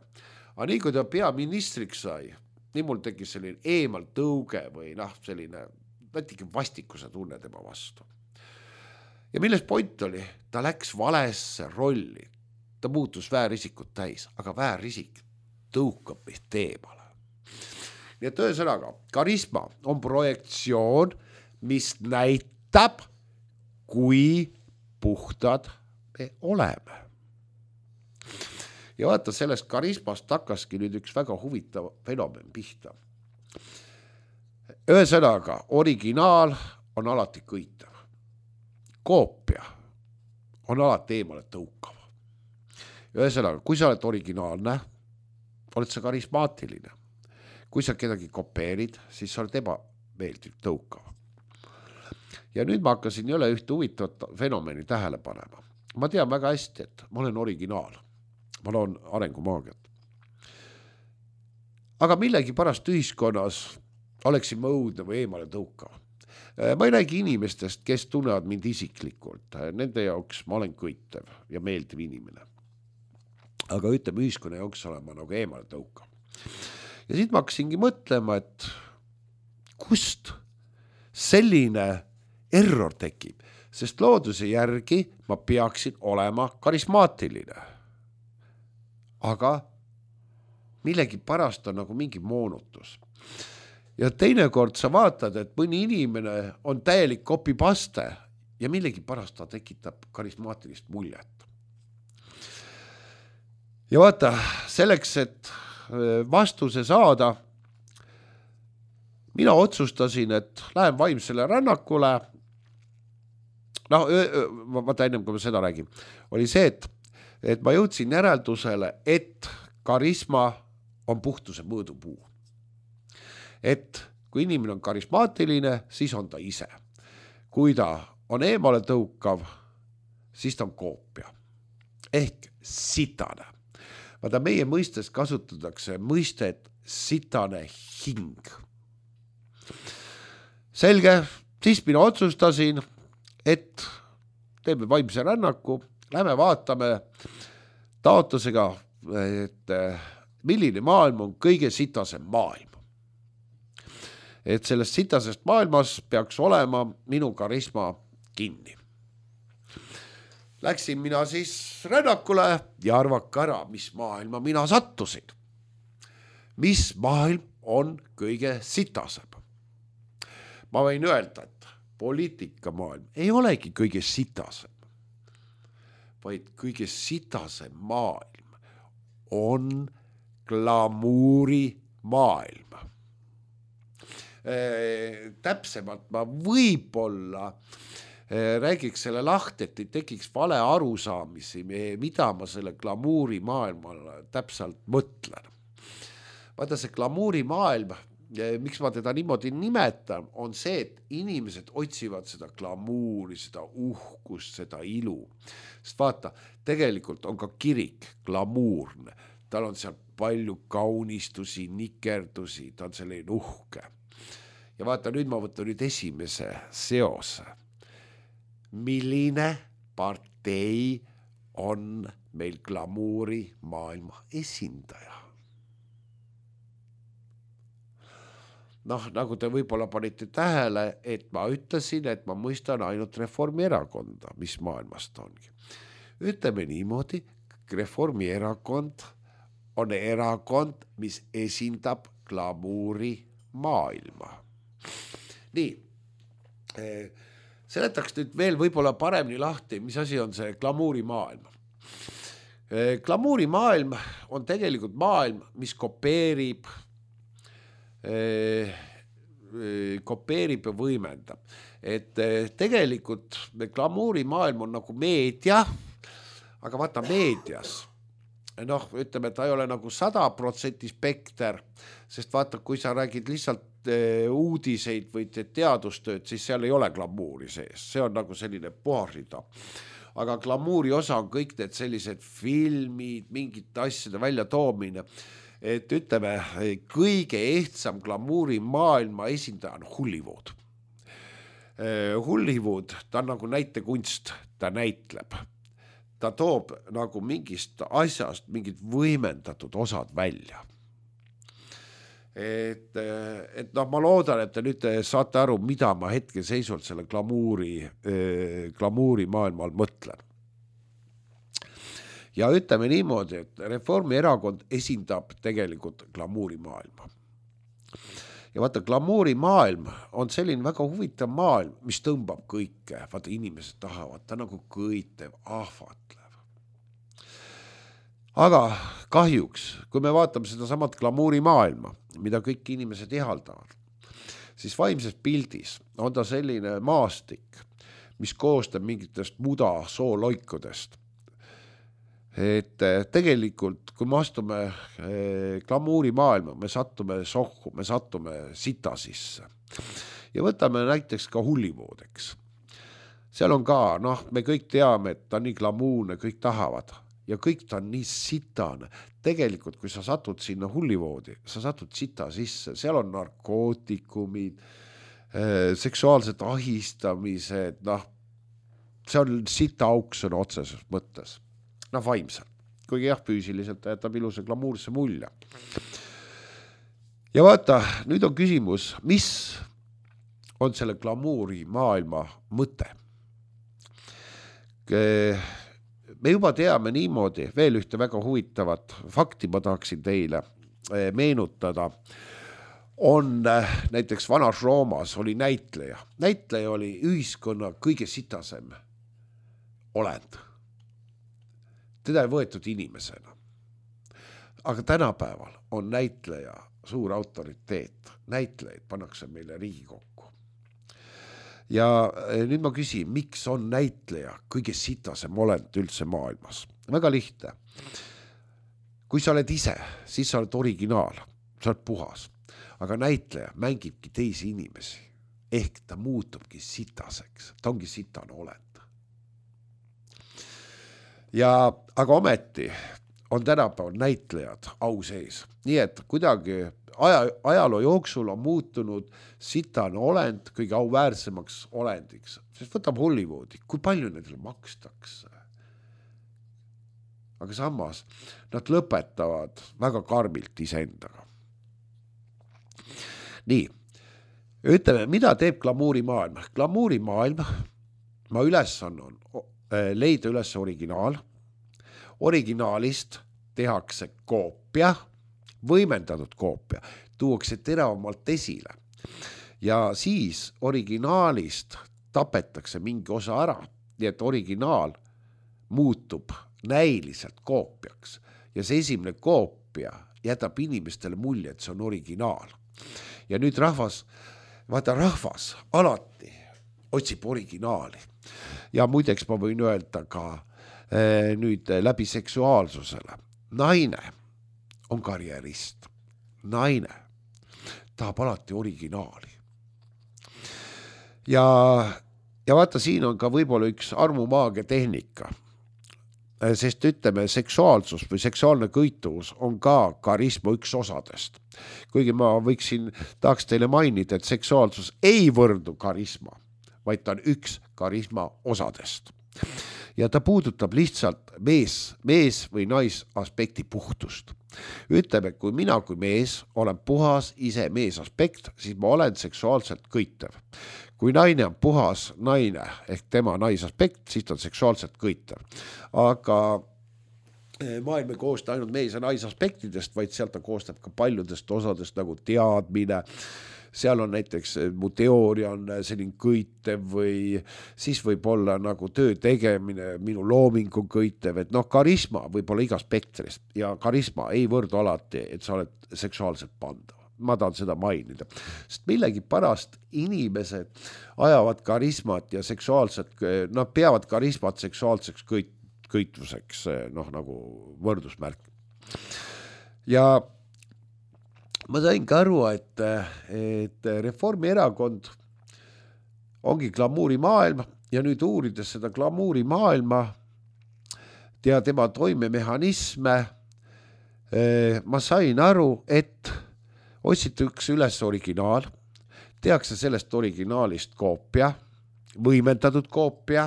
Aga nii kui ta peaministriks sai, nii mul tekkis selline eemal tõuge või noh, selline võtigi vastikuse tunne tema vastu. Ja milles point oli? Ta läks valesse rolli. Ta muutus väärisikut täis, aga väärisik tõukab meid eemale. Nii et ühesõnaga, karisma on projektsioon, mis näitab, kui puhtad me oleme. Ja vaata, sellest karismast hakkaski nüüd üks väga huvitav fenomen pihta. Ühesõnaga, originaal on alati kõitav. koopia on alati eemale tõukav. Ühesõnaga, kui sa oled originaalne, oled sa karismaatiline. Kui sa kedagi kopeerid, siis sa oled ebameeldiv tõukav. Ja nüüd ma hakkasin jälle ühte huvitavat fenomeni tähele panema. Ma tean väga hästi, et ma olen originaal. Ma loon arengumaagiat. Aga millegi pärast ühiskonnas oleksin ma õudne või eemale tõukav. Ma ei räägi inimestest, kes tunnevad mind isiklikult. Nende jaoks ma olen kõitev ja meeldiv inimene. Aga ütleme, ühiskonna jaoks olen ma nagu eemale tõukav. Ja siit ma hakkasingi mõtlema, et kust selline error tekib, sest looduse järgi ma peaksin olema karismaatiline. Aga millegi pärast on nagu mingi moonutus. Ja teinekord sa vaatad, et mõni inimene on täielik kopipaste ja millegi pärast ta tekitab karismaatilist muljet. Ja vaata, selleks, et vastuse saada, mina otsustasin, et lähen vaimsele rännakule. No, vaata ennem, kui ma seda räägin, oli see, et, et ma jõudsin järeldusele, et karisma on puhtuse mõõdupuu. Et kui inimene on karismaatiline, siis on ta ise. Kui ta on eemale tõukav, siis ta on koopia. Ehk sitane. Vaata, meie mõistes kasutatakse mõistet sitane hing. Selge, siis mina otsustasin, et teeme vaimse rännaku, lähme vaatame taotlusega, et milline maailm on kõige sitasem maailm. Et sellest sitasest maailmas peaks olema minu karisma kinni. Läksin mina siis rännakule ja arvaka ära, mis maailma mina sattusin. Mis maailm on kõige sitasem. Ma võin öelda, et poliitikamaailm ei olegi kõige sitasem, vaid kõige sitasem maailm on glamuuri maailm. Täpsemalt ma võib-olla räägiks selle lahti, et ei tekiks vale arusaamisi, mida ma selle glamuuri maailmal täpselt mõtlen. Vaata, see glamuuri maailm, miks ma teda niimoodi nimetan, on see, et inimesed otsivad seda glamuuri, seda uhkust, seda ilu. Sest vaata, tegelikult on ka kirik glamuurne. Tal on seal palju kaunistusi, nikerdusi, ta on selline uhke. Ja vaata, nüüd ma võtan nüüd esimese seose. Milline partei on meil glamuuri maailma esindaja? Noh, nagu te võib-olla panite tähele, et ma ütlesin, et ma mõistan ainult Reformierakonda, mis maailmast ongi. Ütleme niimoodi, Reformierakond on erakond, mis esindab glamuuri maailma. Nii, seletaks nüüd veel võib-olla paremini lahti, mis asi on see glamuuri maailm. Glamuuri maailm on tegelikult maailm, mis kopeerib, kopeerib ja võimendab. Et tegelikult glamuuri maailm on nagu meedia, aga vaata meedias. Noh, ütleme, ta ei ole nagu sada protsenti spekter, sest vaata, kui sa räägid lihtsalt uudiseid või teadustööd, siis seal ei ole glamuuri sees. See on nagu selline puharida. Aga glamuuri osa on kõik need sellised filmid, mingite asjade välja toomine. Et ütleme, kõige ehtsam glamuuri maailma esindaja on Hollywood. Hollywood, ta on nagu näitekunst, ta näitleb. Ta toob nagu mingist asjast mingid võimendatud osad välja. Et, et noh, ma loodan, et te nüüd saate aru, mida ma hetke seisult selle glamuuri, glamuuri maailmal mõtlen. Ja ütleme niimoodi, et Reformierakond esindab tegelikult glamuuri maailma. Ja vaata, glamuuri maailm on selline väga huvitav maailm, mis tõmbab kõike. Vaata, inimesed tahavad, ta nagu kõitev, ahvatlev. Aga kahjuks, kui me vaatame seda samat glamuuri maailma, mida kõik inimesed ihaldavad, siis vaimses pildis on ta selline maastik, mis koostab mingitest muda sooloikudest. Et tegelikult, kui me astume glamuuri maailma, me sattume sohku, me sattume sita sisse. Ja võtame näiteks ka Hollywood, eks. Seal on ka, noh, me kõik teame, et ta on nii glamuurne, kõik tahavad. Ja kõik ta on nii sitane. Tegelikult, kui sa satud sinna Hollywoodi, sa satud sita sisse, seal on narkootikumid, seksuaalsed ahistamised, noh, see on sita auk sõna otseses mõttes. Noh, vaimselt. Kuigi jah, füüsiliselt jätab ilusa glamuurse mulje. Ja vaata, nüüd on küsimus, mis on selle glamuuri maailma mõte? Me juba teame niimoodi, veel ühte väga huvitavat fakti ma tahaksin teile meenutada, on näiteks vanas Roomas oli näitleja. Näitleja oli ühiskonna kõige sitasem olend. Teda ei võetud inimesena. Aga tänapäeval on näitleja suur autoriteet. Näitlejaid pannakse meile Riigikokku. Ja nüüd ma küsin, miks on näitleja kõige sitasem olend üldse maailmas? Väga lihtne. Kui sa oled ise, siis sa oled originaal, sa oled puhas. Aga näitleja mängibki teisi inimesi. Ehk ta muutubki sitaseks. Ta ongi sitane olend. Ja, aga ometi on tänapäeval näitlejad au sees. Nii et kuidagi aja, ajaloo jooksul on muutunud sitane olend kõige auväärsemaks olendiks. Sest võtab Hollywoodi, kui palju nendele makstakse. Aga samas nad lõpetavad väga karmilt iseendaga. Nii, ütleme, mida teeb glamuuri maailm? Glamuuri maailm, ma ülesanne on leida üles originaal. Originaalist tehakse koopia, võimendatud koopia, tuuakse teravamalt esile. Ja siis originaalist tapetakse mingi osa ära, nii et originaal muutub näiliselt koopiaks. Ja see esimene koopia jätab inimestele mulje, et see on originaal. Ja nüüd rahvas, vaata rahvas alati otsib originaali. Ja muideks ma võin öelda ka eh, nüüd läbi seksuaalsusele. Naine on karjärist. Naine tahab alati originaali. Ja, ja vaata, siin on ka võib-olla üks armumaagia tehnika. Sest ütleme, seksuaalsus või seksuaalne kõituvus on ka karisma üks osadest. Kuigi ma võiksin, tahaks teile mainida, et seksuaalsus ei võrdu karisma, vaid ta on üks karisma osadest. Ja ta puudutab lihtsalt mees, mees või nais aspekti puhtust. Ütleme, kui mina kui mees olen puhas ise mees aspekt, siis ma olen seksuaalselt kõitev. Kui naine on puhas naine ehk tema naisaspekt, siis ta on seksuaalselt kõitev. Aga maailm ei koosta ainult mees ja naisaspektidest, vaid sealt ta koostab ka paljudest osadest nagu teadmine. Seal on näiteks mu teooria on selline kõitev või siis võib olla nagu töö tegemine, minu loomingu kõitev, et noh, karisma võib olla iga spektrist ja karisma ei võrdu alati, et sa oled seksuaalselt pandav. Ma tahan seda mainida, sest millegi pärast inimesed ajavad karismat ja seksuaalset, nad peavad karismat seksuaalseks kõit, kõitvuseks, noh nagu võrdusmärk. Ja ma sain ka aru, et, et Reformierakond ongi glamuuri maailm ja nüüd uurides seda glamuuri maailma ja tema toimemehhanisme, ma sain aru, et otsitakse üles originaal, tehakse sellest originaalist koopia, võimendatud koopia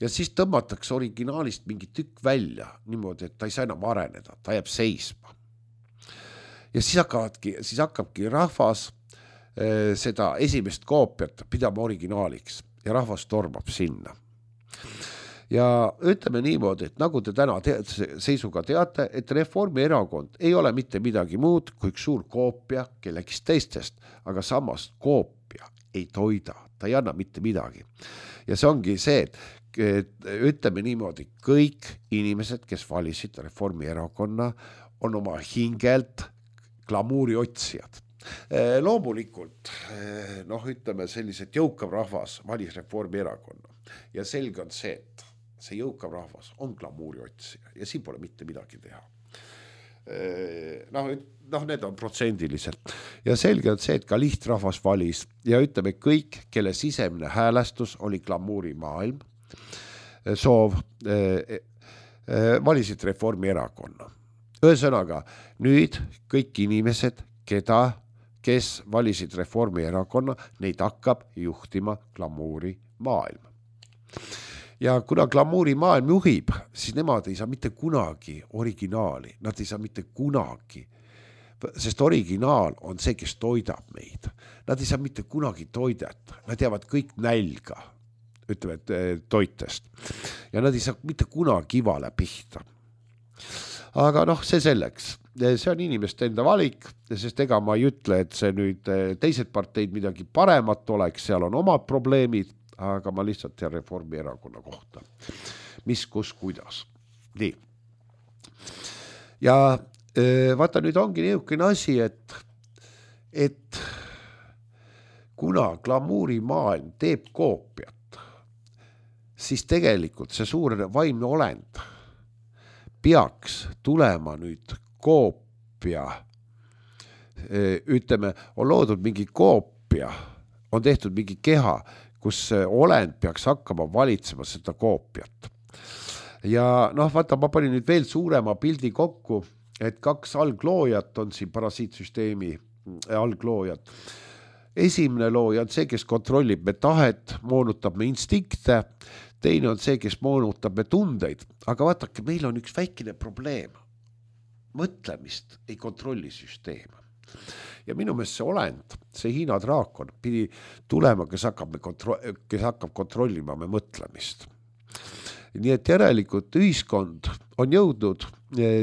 ja siis tõmmatakse originaalist mingi tükk välja niimoodi, et ta ei saa enam areneda, ta jääb seisma. Ja siis, hakkavadki, siis hakkabki rahvas eh, seda esimest koopiat pidama originaaliks ja rahvas tormab sinna. Ja ütleme niimoodi, et nagu te täna te- seisuga teate, et Reformierakond ei ole mitte midagi muud kui üks suur koopia kellegist teistest, aga samas koopia ei toida, ta ei anna mitte midagi. Ja see ongi see, et ütleme niimoodi, kõik inimesed, kes valisid Reformierakonna, on oma hingelt glamuuri otsijad. loomulikult noh, ütleme sellised jõukav rahvas valis Reformierakonna ja selge on see, et see jõukav rahvas on glamuuri otsija ja siin pole mitte midagi teha. Noh, noh, need on protsendiliselt ja selge on see, et ka lihtrahvas valis ja ütleme kõik, kelle sisemine häälestus oli glamuuri maailm, soov, valisid Reformierakonna. Ühesõnaga, nüüd kõik inimesed, keda, kes valisid Reformierakonna, neid hakkab juhtima glamuuri maailm. Ja kuna glamuuri maailm juhib, siis nemad ei saa mitte kunagi originaali, nad ei saa mitte kunagi, sest originaal on see, kes toidab meid. Nad ei saa mitte kunagi toidet, nad jäävad kõik nälga, ütleme, et toitest. Ja nad ei saa mitte kunagi ivale pihta. Aga noh, see selleks, see on inimeste enda valik, sest ega ma ei ütle, et see nüüd teised parteid midagi paremat oleks, seal on omad probleemid, aga ma lihtsalt tean Reformierakonna kohta. Mis, kus, kuidas. Nii. Ja vaata, nüüd ongi niisugune asi, et, et kuna glamuuri maailm teeb koopiat, siis tegelikult see suur vaimne olend peaks tulema nüüd koopia, ütleme, on loodud mingi koopia, on tehtud mingi keha, kus olend peaks hakkama valitsema seda koopiat. Ja noh, vaata, ma panin nüüd veel suurema pildi kokku, et kaks algloojat on siin parasiitsüsteemi algloojad. Esimene looja on see, kes kontrollib me tahet, moonutab me instinkte, teine on see, kes moonutab me tundeid, aga vaatake, meil on üks väikene probleem. Mõtlemist ei kontrolli süsteem. Ja minu meelest see olend, see Hiina draakon pidi tulema, kes hakkab, me kontro- kes hakkab kontrollima me mõtlemist. Nii et järelikult ühiskond on jõudnud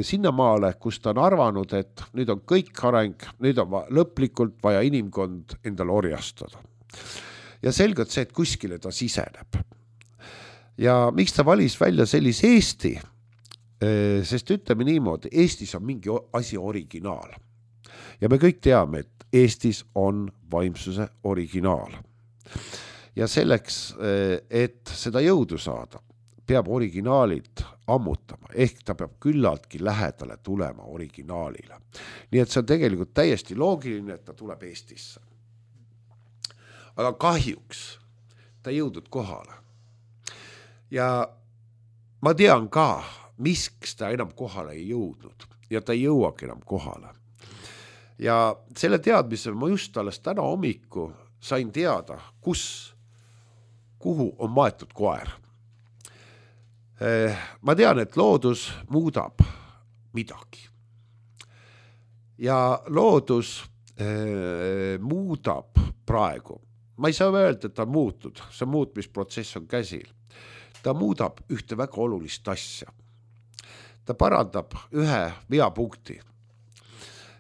sinnamaale, kus ta on arvanud, et nüüd on kõik areng, nüüd on lõplikult vaja inimkond endale orjastada. Ja selgelt see, et kuskile ta siseneb. Ja miks ta valis välja sellise Eesti? Sest ütleme niimoodi, Eestis on mingi asi originaal. Ja me kõik teame, et Eestis on vaimsuse originaal. Ja selleks, et seda jõudu saada, peab originaalid ammutama, ehk ta peab küllaltki lähedale tulema originaalile. Nii et see on tegelikult täiesti loogiline, et ta tuleb Eestisse. Aga kahjuks ta jõudnud kohale. Ja ma tean ka, miks ta enam kohale ei jõudnud ja ta ei jõuagi enam kohale. Ja selle teadmise ma just alles täna hommiku sain teada, kus, kuhu on maetud koer. Ma tean, et loodus muudab midagi. Ja loodus muudab praegu. Ma ei saa öelda, et ta on muutud, see muutmisprotsess on käsil. Ta muudab ühte väga olulist asja. Ta parandab ühe veapunkti.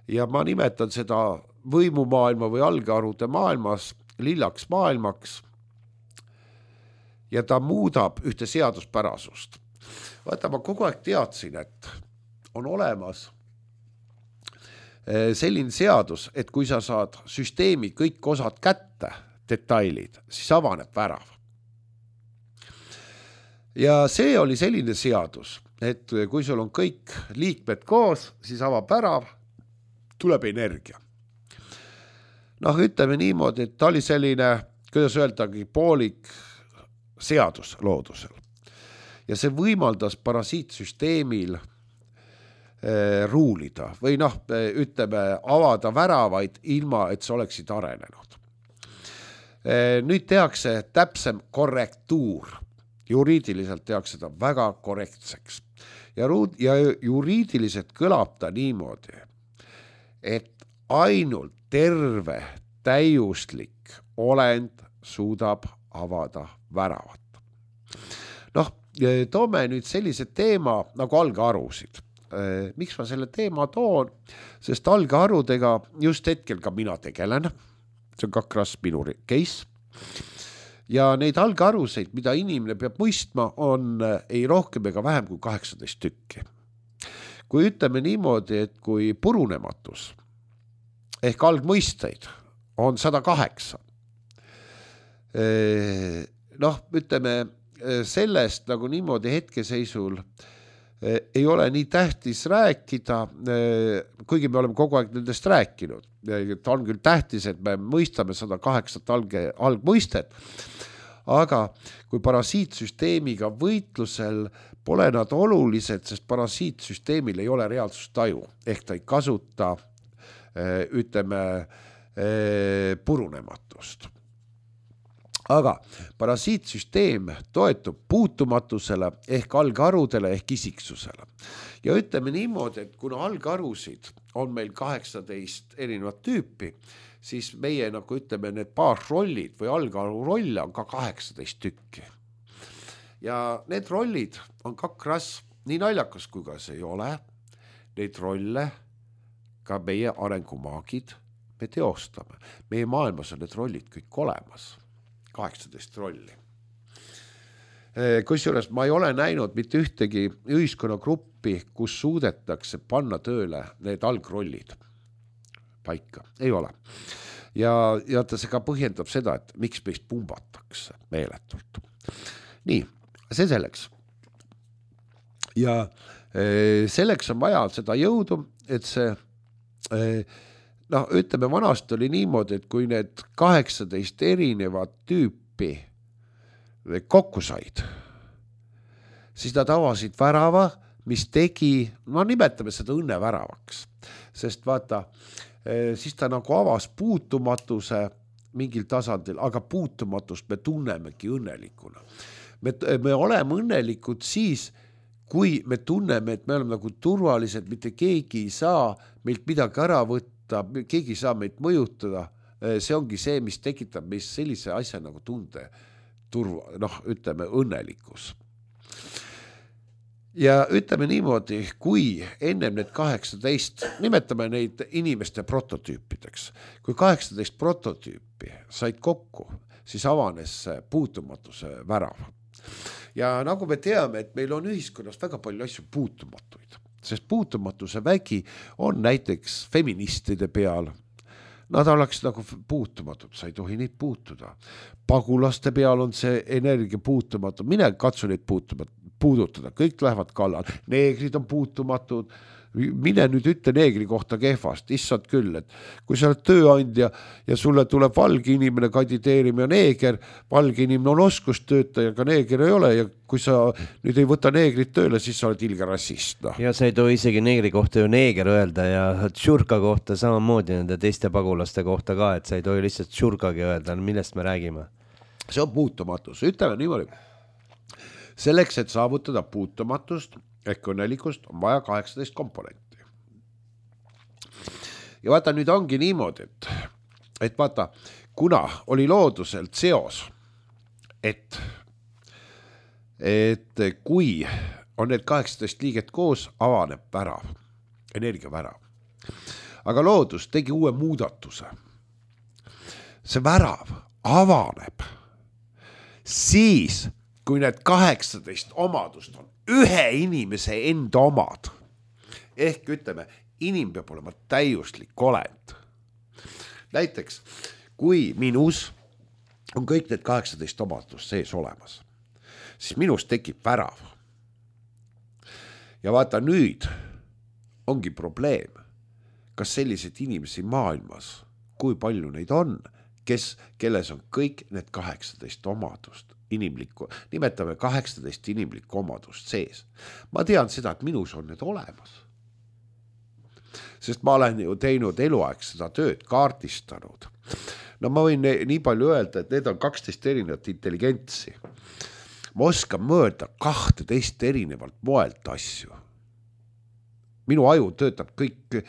Ja ma nimetan seda võimumaailma või algarude maailmas lillaks maailmaks. Ja ta muudab ühte seaduspärasust. Vaata, ma kogu aeg teadsin, et on olemas selline seadus, et kui sa saad süsteemi kõik osad kätte, detailid, siis avaneb värav. Ja see oli selline seadus, et kui sul on kõik liikmed koos, siis avab värav, tuleb energia. Noh, ütleme niimoodi, et ta oli selline, kuidas öeldagi, poolik seadus loodusel. Ja see võimaldas parasiitsüsteemil eh, ruulida või noh, ütleme, avada väravaid ilma, et see oleksid arenenud. Eh, nüüd tehakse täpsem korrektuur. Juriidiliselt tehakse seda väga korrektseks. Ja, ruud, ja juriidiliselt kõlab ta niimoodi, et ainult terve, täiuslik olend suudab avada väravat. Noh, toome nüüd sellise teema nagu algarusid. Miks ma selle teema toon? Sest algarudega just hetkel ka mina tegelen. See on kakras minu case. Ja neid algaruseid, mida inimene peab mõistma, on ei rohkem ega vähem kui kaheksateist tükki. Kui ütleme niimoodi, et kui purunematus ehk algmõisteid on sada kaheksa. Noh, ütleme sellest nagu niimoodi hetkeseisul ei ole nii tähtis rääkida, kuigi me oleme kogu aeg nendest rääkinud. Ta on küll tähtis, et me mõistame sada kaheksa alge, algmõistet, aga kui parasiitsüsteemiga võitlusel pole nad olulised, sest parasiitsüsteemil ei ole reaalsustaju, ehk ta ei kasuta, ütleme, purunematust. Aga parasiitsüsteem toetub puutumatusele ehk algharudele ehk isiksusele. Ja ütleme niimoodi, et kuna algharusid on meil kaheksateist erinevat tüüpi, siis meie, nagu ütleme, need baasrollid või algharu rolle on ka kaheksateist tükki. Ja need rollid on kakras, nii naljakas kui ka see ei ole, neid rolle ka meie arengumaagid me teostame. Meie maailmas on need rollid kõik olemas. kaheksateist rolli. Kusjuures ma ei ole näinud mitte ühtegi ühiskonnagruppi, kus suudetakse panna tööle need algrollid paika. Ei ole. Ja, ja ta see ka põhjendab seda, et miks meist pumbatakse meeletult. Nii, see selleks. Ja selleks on vaja seda jõudu, et see noh, ütleme, vanast oli niimoodi, et kui need kaheksateist erinevat tüüpi kokku said, siis nad avasid värava, mis tegi, no nimetame seda õnneväravaks, sest vaata, siis ta nagu avas puutumatuse mingil tasandil, aga puutumatust me tunnemegi õnnelikuna. Me, me oleme õnnelikud siis, kui me tunneme, et me oleme nagu turvalised, mitte keegi ei saa meilt midagi ära võtta, keegi saa meid mõjutada, see ongi see, mis tekitab meist sellise asja nagu tunde, turva, noh, ütleme, õnnelikkus. Ja ütleme niimoodi, kui ennem need kaheksateist, nimetame neid inimeste prototüüpideks, kui kaheksateist prototüüpi said kokku, siis avanes puutumatuse värav. Ja nagu me teame, et meil on ühiskonnas väga palju asju puutumatuid, sest puutumatuse vägi on näiteks feministide peal. Nad oleks nagu puutumatud, sa ei tohi neid puutuda. Pagulaste peal on see energia puutumatu, mine katsu neid puudutada, kõik lähevad kallal. Neegrid on puutumatud, mine nüüd ütle neegri kohta kehvast, issad küll, et kui sa oled tööandja ja sulle tuleb valge inimene kandideerima ja neeger, valge inimene on oskustöötaja, aga neeger ei ole ja kui sa nüüd ei võta neegrit tööle, siis sa oled ilge rassist. No.
Ja sa ei tohi isegi neegri kohta ju neeger öelda ja tšurka kohta samamoodi nende teiste pagulaste kohta ka, et sa ei tohi lihtsalt tšurkagi öelda, millest me räägime.
See on puutumatus, ütleme niimoodi. Selleks, et saavutada puutumatust, ehk õnnelikust on vaja kaheksateist komponenti. Ja vaata, nüüd ongi niimoodi, et, et vaata, kuna oli looduselt seos, et, et kui on need kaheksateist liiget koos, avaneb värav, energia värav. Aga loodus tegi uue muudatuse. See värav avaneb siis, kui need kaheksateist omadust on ühe inimese enda omad. Ehk ütleme, inim peab olema täiuslik olend. Näiteks, kui minus on kõik need kaheksateist omadust sees olemas, siis minus tekib värav. Ja vaata, nüüd ongi probleem, kas sellised inimesi maailmas, kui palju neid on, kes, kelles on kõik need kaheksateist omadust. Inimlikku, nimetame kaheksateist inimlikku omadust sees. Ma tean seda, et minus on need olemas. Sest ma olen ju teinud eluaeg seda tööd, kaardistanud. No ma võin nii palju öelda, et need on kaksteist erinevat intelligentsi. Ma oskan mõelda kahteteist erinevalt moelt asju. Minu aju töötab kõik,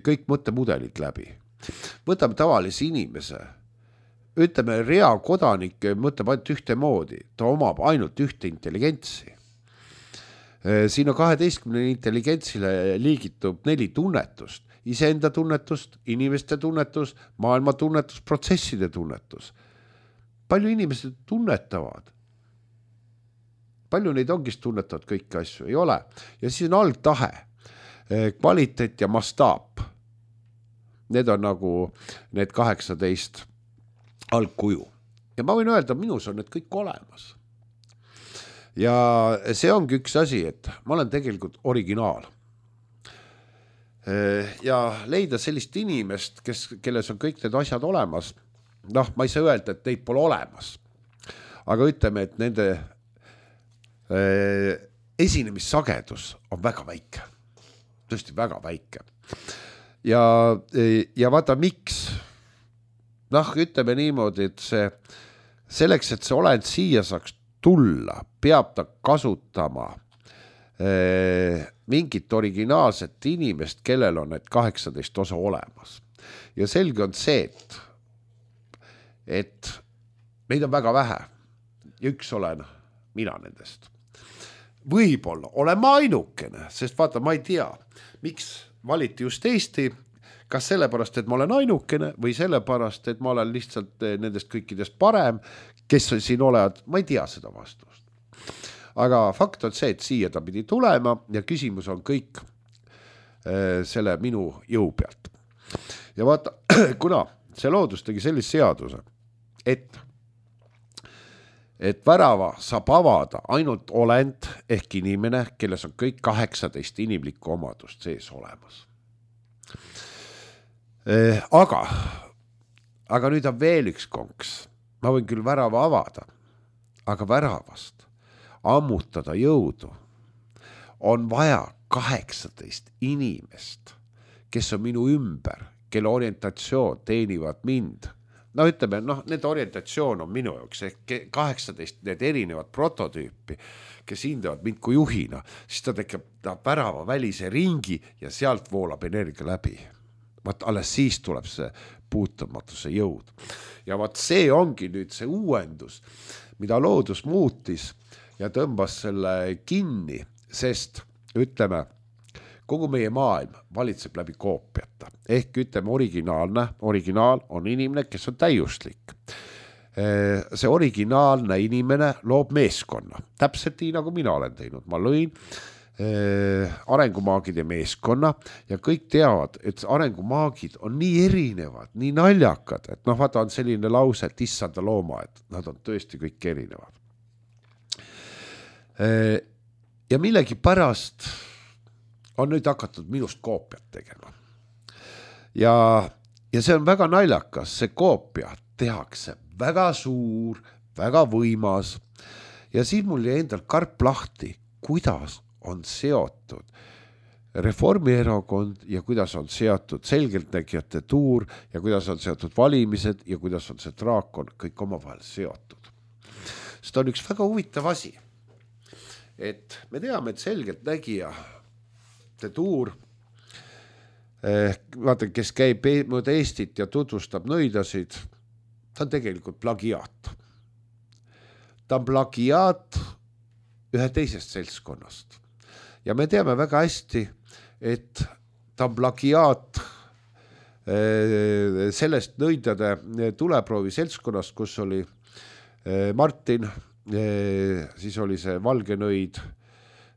kõik mõttemudelid läbi. Võtame tavalise inimese. Ütleme, rea kodanik mõtleb ainult ühte moodi, ta omab ainult ühte intelligentsi. Siin on kaheteistkümne intelligentsile liigitub neli tunnetust, iseenda tunnetust, inimeste tunnetus, maailma tunnetus, protsesside tunnetus. Palju inimesed tunnetavad? Palju neid ongist tunnetavad kõiki asju? Ei ole. Ja siis on algtahe, kvaliteet ja mastaap. need on nagu need kaheksateist algkuju ja ma võin öelda, minus on need kõik olemas. Ja see ongi üks asi, et ma olen tegelikult originaal. Ja leida sellist inimest, kes, kelles on kõik need asjad olemas, noh, ma ei saa öelda, et neid pole olemas, aga ütleme, et nende äh, esinemissagedus on väga väike, tõesti väga väike. Ja, ja vaata, miks? Noh, ütleme niimoodi, et see, selleks, et see olend siia saaks tulla, peab ta kasutama äh, mingit originaalset inimest, kellel on need kaheksateist osa olemas. Ja selge on see, et, et meid on väga vähe. Ja üks olen mina nendest. Võib-olla olen ma ainukene, sest vaata, ma ei tea, miks valiti just Eesti, kas sellepärast, et ma olen ainukene või sellepärast, et ma olen lihtsalt nendest kõikidest parem, kes on siin olevad, ma ei tea seda vastust. Aga fakt on see, et siia ta pidi tulema ja küsimus on kõik äh, selle minu jõu pealt. Ja vaata, kuna see loodus tegi sellise seaduse, et, et värava saab avada ainult olend ehk inimene, kelles on kõik kaheksateist inimlikku omadust sees olemas. Äh, aga, aga nüüd on veel üks konks. Ma võin küll värava avada, aga väravast ammutada jõudu on vaja kaheksateist inimest, kes on minu ümber, kelle orientatsioon teenivad mind. No ütleme, noh, need orientatsioon on minu jaoks ehk kaheksateist need erinevad prototüüpi, kes hindavad mind kui juhina, siis ta tekib ta värava välise ringi ja sealt voolab energia läbi. Vaat alles siis tuleb see puutumatuse jõud. Ja vaat see ongi nüüd see uuendus, mida loodus muutis ja tõmbas selle kinni, sest ütleme, kogu meie maailm valitseb läbi koopiata. Ehk ütleme, originaalne, originaal on inimene, kes on täiuslik. See originaalne inimene loob meeskonna. Täpselt nii, nagu mina olen teinud. Ma lõin arengumaagide meeskonna ja kõik teavad, et arengumaagid on nii erinevad, nii naljakad, et noh, vaata on selline lause, et issanda looma, et nad on tõesti kõik erinevad. Ja millegi pärast on nüüd hakatud minust koopiat tegema. Ja, ja see on väga naljakas, see koopia tehakse väga suur, väga võimas ja siis mul jäi endal karp lahti, kuidas on seotud Reformierakond ja kuidas on seotud selgeltnägijate tuur ja kuidas on seotud valimised ja kuidas on see draakon kõik omavahel seotud. Sest on üks väga huvitav asi, et me teame, et selgeltnägija tuur, eh, vaata, kes käib mööda Eestit ja tutvustab nõidasid, ta on tegelikult plagiaat. Ta on plagiaat ühe teisest seltskonnast. Ja me teame väga hästi, et ta on plagiaat eh, sellest nõidade tuleproovi seltskonnast, kus oli eh, Martin, eh, siis oli see valge nõid,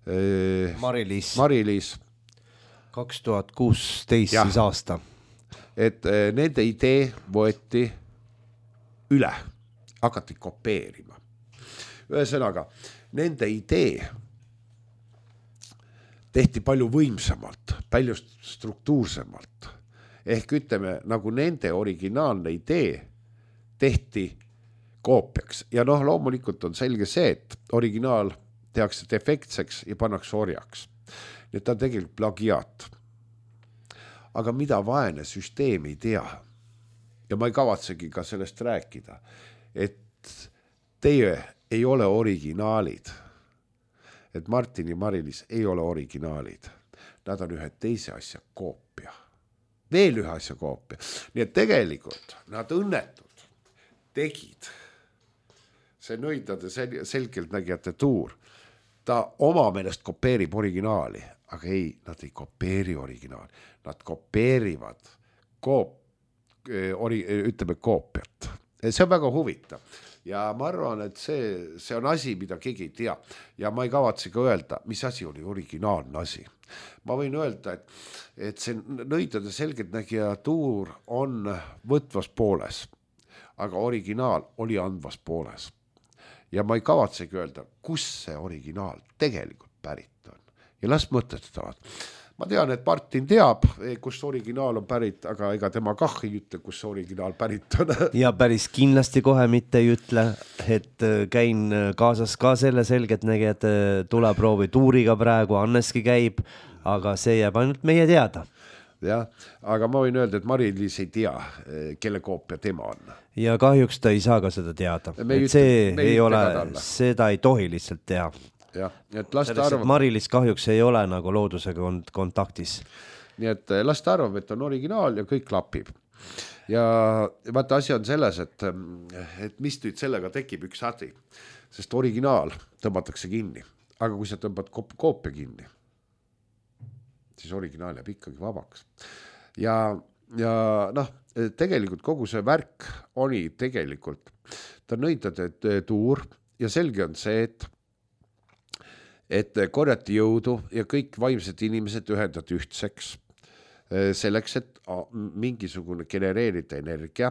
eh,
Mari-Liis.
Mari-Liis.
kaks tuhat kuusteist siis aasta.
Et eh, nende idee võeti üle, hakati kopeerima. Ühesõnaga, nende idee tehti palju võimsamalt, palju struktuursemalt. Ehk ütleme, nagu nende originaalne idee tehti koopiaks. Ja noh, loomulikult on selge see, et originaal tehakse defektseks ja pannakse orjaks. Nii et ta on tegelikult plagiaat. Aga mida vaene süsteem ei tea, ja ma ei kavatsegi ka sellest rääkida, et teie ei ole originaalid. Et Martin ja Mari-Liis ei ole originaalid. Nad on ühe teise asja koopia. Veel ühe asja koopia. Nii et tegelikult nad õnnetud tegid see nõidade selgeltnägijate tuur. Ta oma meelest kopeerib originaali, aga ei, nad ei kopeeri originaali. Nad kopeerivad koop, ori, ütleme koopiat. See on väga huvitav. ja ma arvan, et see, see on asi, mida keegi ei tea ja ma ei kavatse ka öelda, mis asi oli originaalne asi. Ma võin öelda, et, et see nõidade selgeltnägija tuur on võtvas pooles, aga originaal oli andvas pooles. Ja ma ei kavatsegi öelda, kus see originaal tegelikult pärit on. Ja las mõtetavad. Ma tean, et Martin teab, kus originaal on pärit, aga ega tema kah ei ütle, kus originaal pärit on.
Ja päris kindlasti kohe mitte ei ütle, et käin kaasas ka selle selgeltnägijad tuleproovi tuuriga praegu, Anneski käib, aga see jääb ainult meie teada.
Ja, aga ma võin öelda, et Mari-Liis ei tea, kelle koopia tema on.
Ja kahjuks ta ei saa ka seda teada. Et see ei ole, seda ei tohi lihtsalt teha.
Ja, et laste arvab...
Mari-Liis kahjuks ei ole nagu loodusega kontaktis.
Nii et laste arvab, et on originaal ja kõik klapib. Ja vaata, asi on selles, et, et mis nüüd sellega tekib üks hädi, sest originaal tõmbatakse kinni, aga kui sa tõmbad koopia kinni, siis originaal jääb ikkagi vabaks. Ja, ja noh, tegelikult kogu see värk oli tegelikult, ta nõidade tuur ja selge on see, et et korjati jõudu ja kõik vaimsed inimesed ühendad ühtseks selleks, et mingisugune genereerida energia.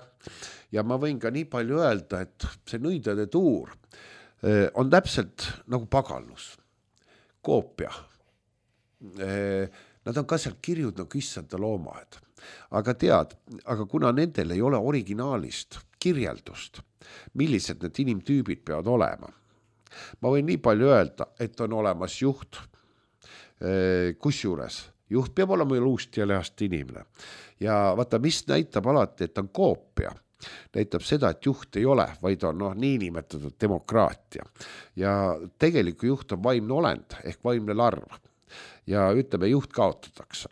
Ja ma võin ka nii palju öelda, et see nõidade tuur on täpselt nagu pagallus, koopia. Nad on ka seal kirjud nagu issanda loomad. Aga tead, aga kuna nendel ei ole originaalist kirjeldust, millised need inimtüübid peavad olema, ma võin nii palju öelda, et on olemas juht, kus juures juht peab olema luust ja lehast inimene. Ja vaata, mis näitab alati, et on koopia, näitab seda, et juht ei ole, vaid on no, nii nimetatud demokraatia. Ja tegeliku juht on vaimne olend ehk vaimne larv. Ja ütleme, juht kaotatakse.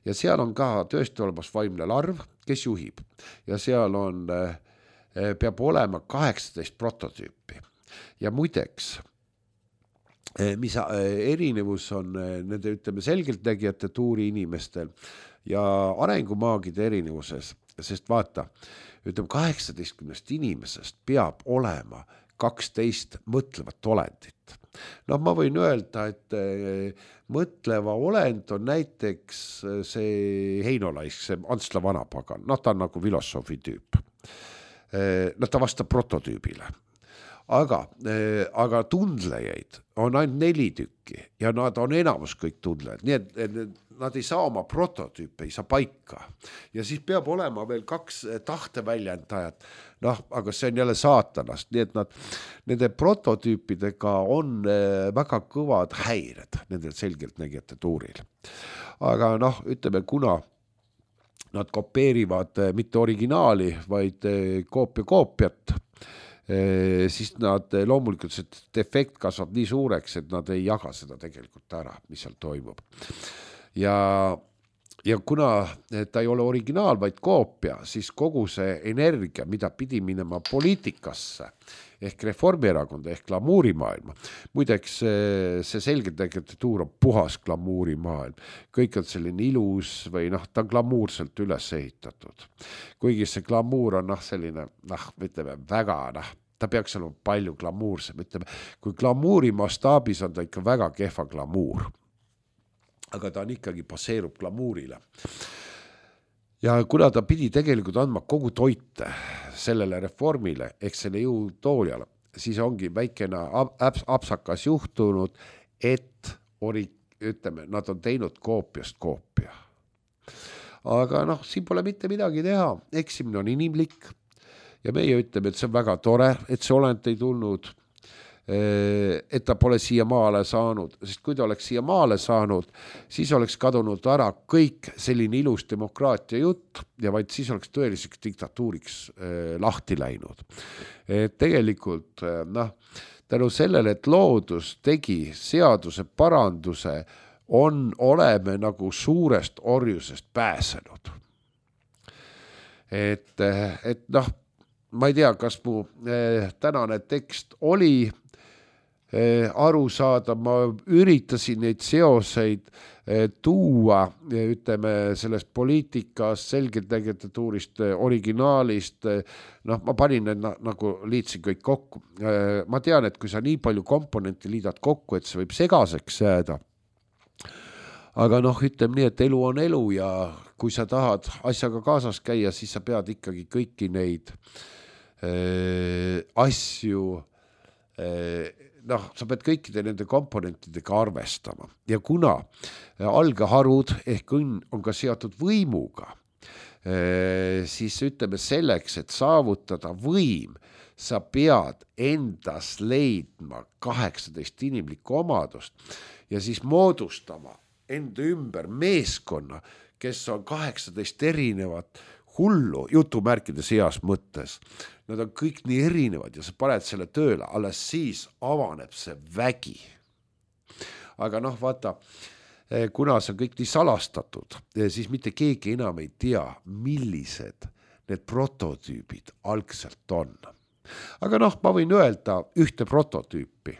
Ja seal on ka tõesti olemas vaimne larv, kes juhib. Ja seal on, peab olema kaheksateist prototüüpi. Ja muideks, mis erinevus on nende, ütleme, selgeltnägijate tuuri inimestel ja arengumaagide erinevuses, sest vaata, ütleme, kaheksateistkümnest inimesest peab olema kaksteist mõtlevat olendit. No ma võin öelda, et mõtleva olend on näiteks see Heinolaisk, see Antsla vanapagan, no ta on nagu filosoofi tüüp. No ta vastab prototüübile. Aga, aga tundlejaid on ainult neli tükki ja nad on enamus kõik tundlejad, nii et nad ei saa oma prototüüpe, ei saa paika. Ja siis peab olema veel kaks tahteväljendajat, noh, aga see on jälle saatanast, nii et nad, nende prototüüpidega on väga kõvad häired nendel selgeltnägijate tuuril. Aga noh, ütleme, kuna nad kopeerivad mitte originaali, vaid koopia koopiat, siis nad loomulikult see defekt kasvab nii suureks, et nad ei jaga seda tegelikult ära, mis seal toimub. Ja, ja kuna ta ei ole originaal, vaid koopia, siis kogu see energia, mida pidi minema poliitikasse, ehk Reformierakonda, ehk glamuurimaailma. Muideks see selgeltnägijate tuur on puhas glamuurimaailm. Kõik on selline ilus või noh, ta on glamuurselt üles ehitatud. Kuigi see glamuur on noh, selline, noh, ütleme, väga, noh, ta peaks olema palju glamuursem. Ütleme, kui glamuuri mastaabis on ta ikka väga kehva glamuur. Aga ta on ikkagi baseerub glamuurile. Ja kuna ta pidi tegelikult andma kogu toite sellele reformile, ehk selle jõutooliale, siis ongi väikene apsakas juhtunud, et ori, ütleme, nad on teinud koopiast koopia. Aga noh, siin pole mitte midagi teha, eksimine on inimlik ja meie ütleme, et see on väga tore, et see olend ei tulnud, et ta pole siia maale saanud, sest kui ta oleks siia maale saanud, siis oleks kadunud ära kõik selline ilus demokraatia jutt ja vaid siis oleks tõeliseks diktatuuriks lahti läinud. Et tegelikult, noh, tänu sellele, et loodus tegi seaduse paranduse, on oleme nagu suurest orjusest pääsenud. Et, et noh, ma ei tea, kas mu tänane tekst oli aru saada, ma üritasin neid seoseid tuua, ütleme, sellest poliitikast, selgeltnägijatuurist, originaalist, noh, ma panin need nagu liitsin kõik kokku. Ma tean, et kui sa nii palju komponenti liidad kokku, et see võib segaseks jääda, aga noh, ütleme nii, et elu on elu ja kui sa tahad asjaga kaasas käia, siis sa pead ikkagi kõiki neid äh, asju äh, noh, sa pead kõikide nende komponentidega arvestama ja kuna algeharud ehk õnn on ka seotud võimuga, siis ütleme selleks, et saavutada võim, sa pead endas leidma kaheksateist inimlikku omadust ja siis moodustama enda ümber meeskonna, kes on kaheksateist erinevat hullu, jutumärkides heas mõttes. Nad on kõik nii erinevad ja sa paned selle tööle, alles siis avaneb see vägi. Aga noh, vaata, kuna see on kõik nii salastatud, siis mitte keegi enam ei tea, millised need prototüübid algselt on. Aga noh, ma võin öelda ühte prototüüpi.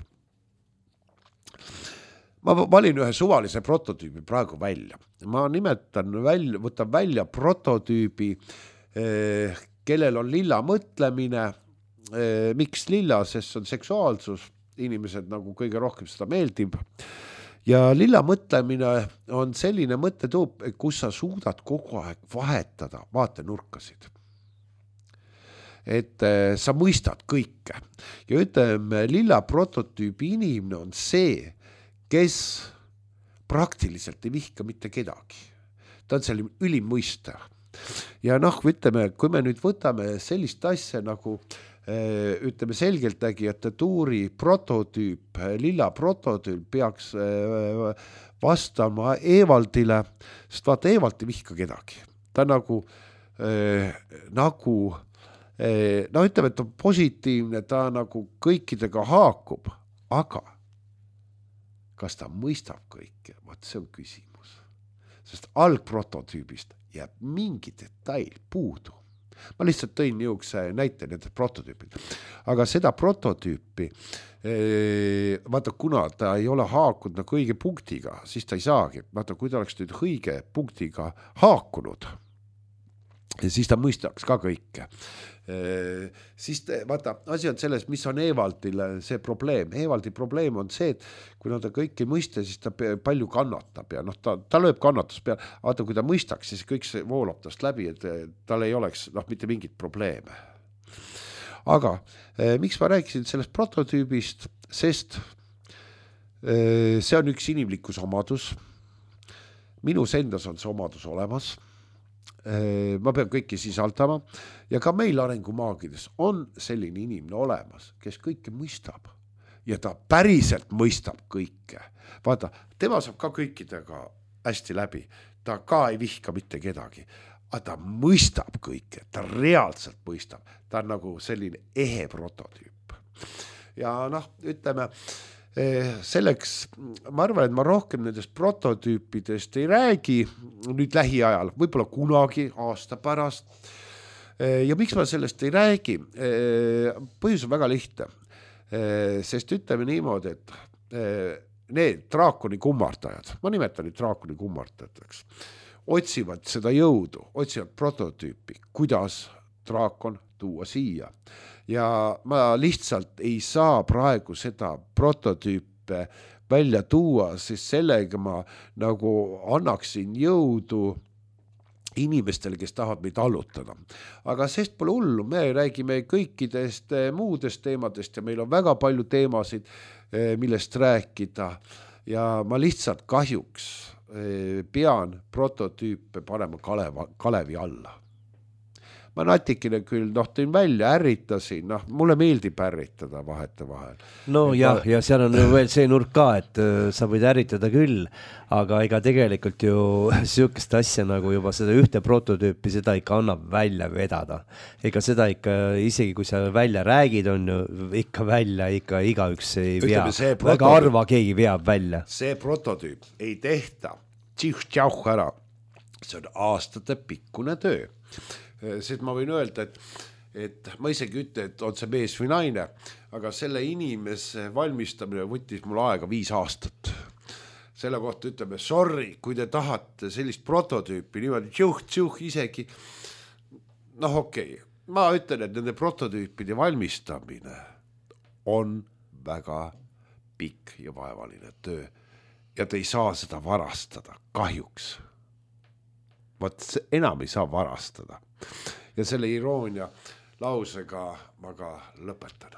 Ma valin ühe suvalise prototüübi praegu välja. Ma nimetan välja, võtan välja prototüübi, eh, kellel on lilla mõtlemine. Eh, miks lilla, sest on seksuaalsus. Inimesed nagu kõige rohkem seda meeldib. Ja lilla mõtlemine on selline mõttetuup, kus sa suudad kogu aeg vahetada vaatenurkasid. Et eh, sa mõistad kõike. Ja ütleme, lilla prototüübi inimene on see, kes praktiliselt ei vihka mitte kedagi. Ta on selline ülimõiste. Ja noh, ütleme, kui me nüüd võtame sellist asja nagu ütleme selgeltnägijate tuuri prototüüp, lilla prototüüp peaks vastama Evaldile, sest vaata, Evald ei vihka kedagi. Ta nagu, nagu no ütleme, et on positiivne, ta nagu kõikidega haakub, aga kas ta mõistab kõike? Vaat see on küsimus. Sest algprototüübist jääb mingi detail puudu. Ma lihtsalt tõin niisuguse näite nende prototüüpid. Aga seda prototüüpi, vaata, kuna ta ei ole haakunud nagu õige punktiga, siis ta ei saagi. Vaata, kui ta oleks nüüd õige punktiga haakunud, siis ta mõistaks ka kõike. Siis vaata, asi on selles, mis on Evaldile see probleem. Evaldi probleem on see, et kui ta kõike ei mõista, siis ta palju kannatab ja noh, ta, ta lööb kannatus peale. Vaata, kui ta mõistaks, siis kõik see voolab tast läbi, et tal ei oleks noh, mitte mingit probleeme. Aga miks ma rääkisin sellest prototüübist, sest see on üks inimlikkus omadus. Minus endas on see omadus olemas. Ma pean kõiki sisaldama ja ka meil arengumaagides on selline inimene olemas, kes kõike mõistab ja ta päriselt mõistab kõike. Vaata, tema saab ka kõikidega hästi läbi, ta ka ei vihka mitte kedagi, aga ta mõistab kõike, ta reaalselt mõistab, ta on nagu selline ehe prototüüp. Ja noh, ütleme, selleks, ma arvan, et ma rohkem nendest prototüüpidest ei räägi nüüd lähiajal, võib-olla kunagi aasta pärast. Ja miks ma sellest ei räägi? Põhjus on väga lihtne, sest ütleme niimoodi, et need draakoni kummardajad, ma nimetan neid draakoni kummardajateks, otsivad seda jõudu, otsivad prototüüpi, kuidas draakon tuua siia. Ja ma lihtsalt ei saa praegu seda prototüüpe välja tuua, sest sellega ma nagu annaksin jõudu inimestele, kes tahavad meid allutada. Aga sest pole hullu, me räägime kõikidest muudest teemadest ja meil on väga palju teemasid, millest rääkida ja ma lihtsalt kahjuks pean prototüüpe panema Kaleva, Kalevi alla. Ma natikene küll, noh, tõin välja, ärritasin, noh, mulle meeldib ärritada vahete vahel.
No et jah, ma... ja seal on ju veel see nurk ka, et uh, sa võid ärritada küll, aga ega tegelikult ju sihukest asja nagu juba seda ühte prototüüpi, seda ikka annab välja vedada. Ega seda ikka, isegi kui sa välja räägid, on ju ikka välja, ikka igaüks ei vea. Väga arva keegi veab välja.
See prototüüp ei tehta tših-tšauh ära. See on aastate pikkune töö. Sest ma võin öelda, et et ma isegi ütle, et on see mees või naine, aga selle inimese valmistamine võttis mul aega viis aastat. Selle kohta ütleme, sorry, kui te tahate sellist prototüüpi niimoodi tšuh-tšuh isegi, noh okei, okay. Ma ütlen, et nende prototüüpide valmistamine on väga pikk ja vaevaline töö ja te ei saa seda varastada, kahjuks. Vaat enam ei saa varastada. Ja selle iroonia lausega ma ka lõpetan.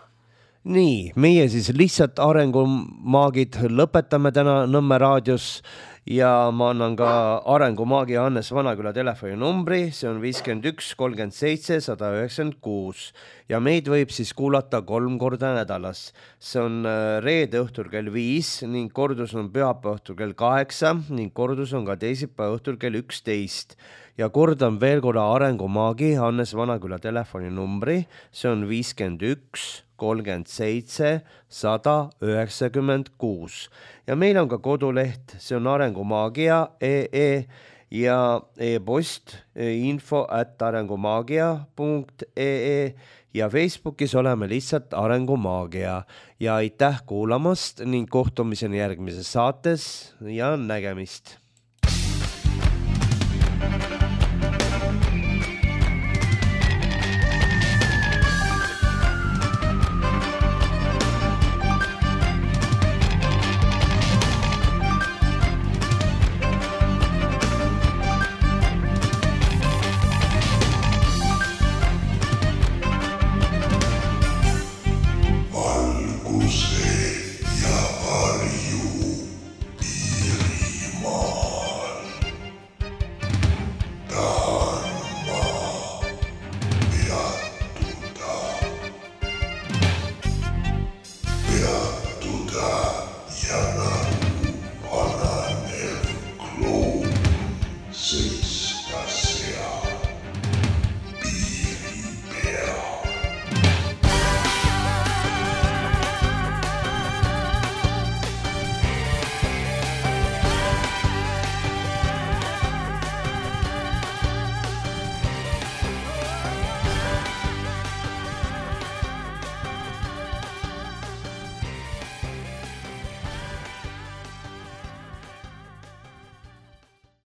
Nii, meie siis lihtsalt arengumaagid lõpetame täna Nõmme raadios ja ma annan ka arengumaagi Hannes Vanaküla telefoninumbri, see on viiskümmend üks kolmkümmend seitse sada üheksakümmend kuus ja meid võib siis kuulata kolm korda nädalas. See on reede õhtul kell viis ning kordus on pühapäeva õhtul kell kaheksa ning kordus on ka teisipäeva õhtul kell üksteist. Ja kordan veel korra arengumaagi Hannes Vanaküla telefoninumbri, see on viiskümmend üks kolmkümmend seitse sada üheksakümmend kuus. Ja meil on ka koduleht, see on arengumaagia punkt ee ja e-post info at arengumaagia punkt ee ja Facebookis oleme lihtsalt Arengumaagia. Ja aitäh kuulamast ning kohtumiseni järgmises saates ja nägemist!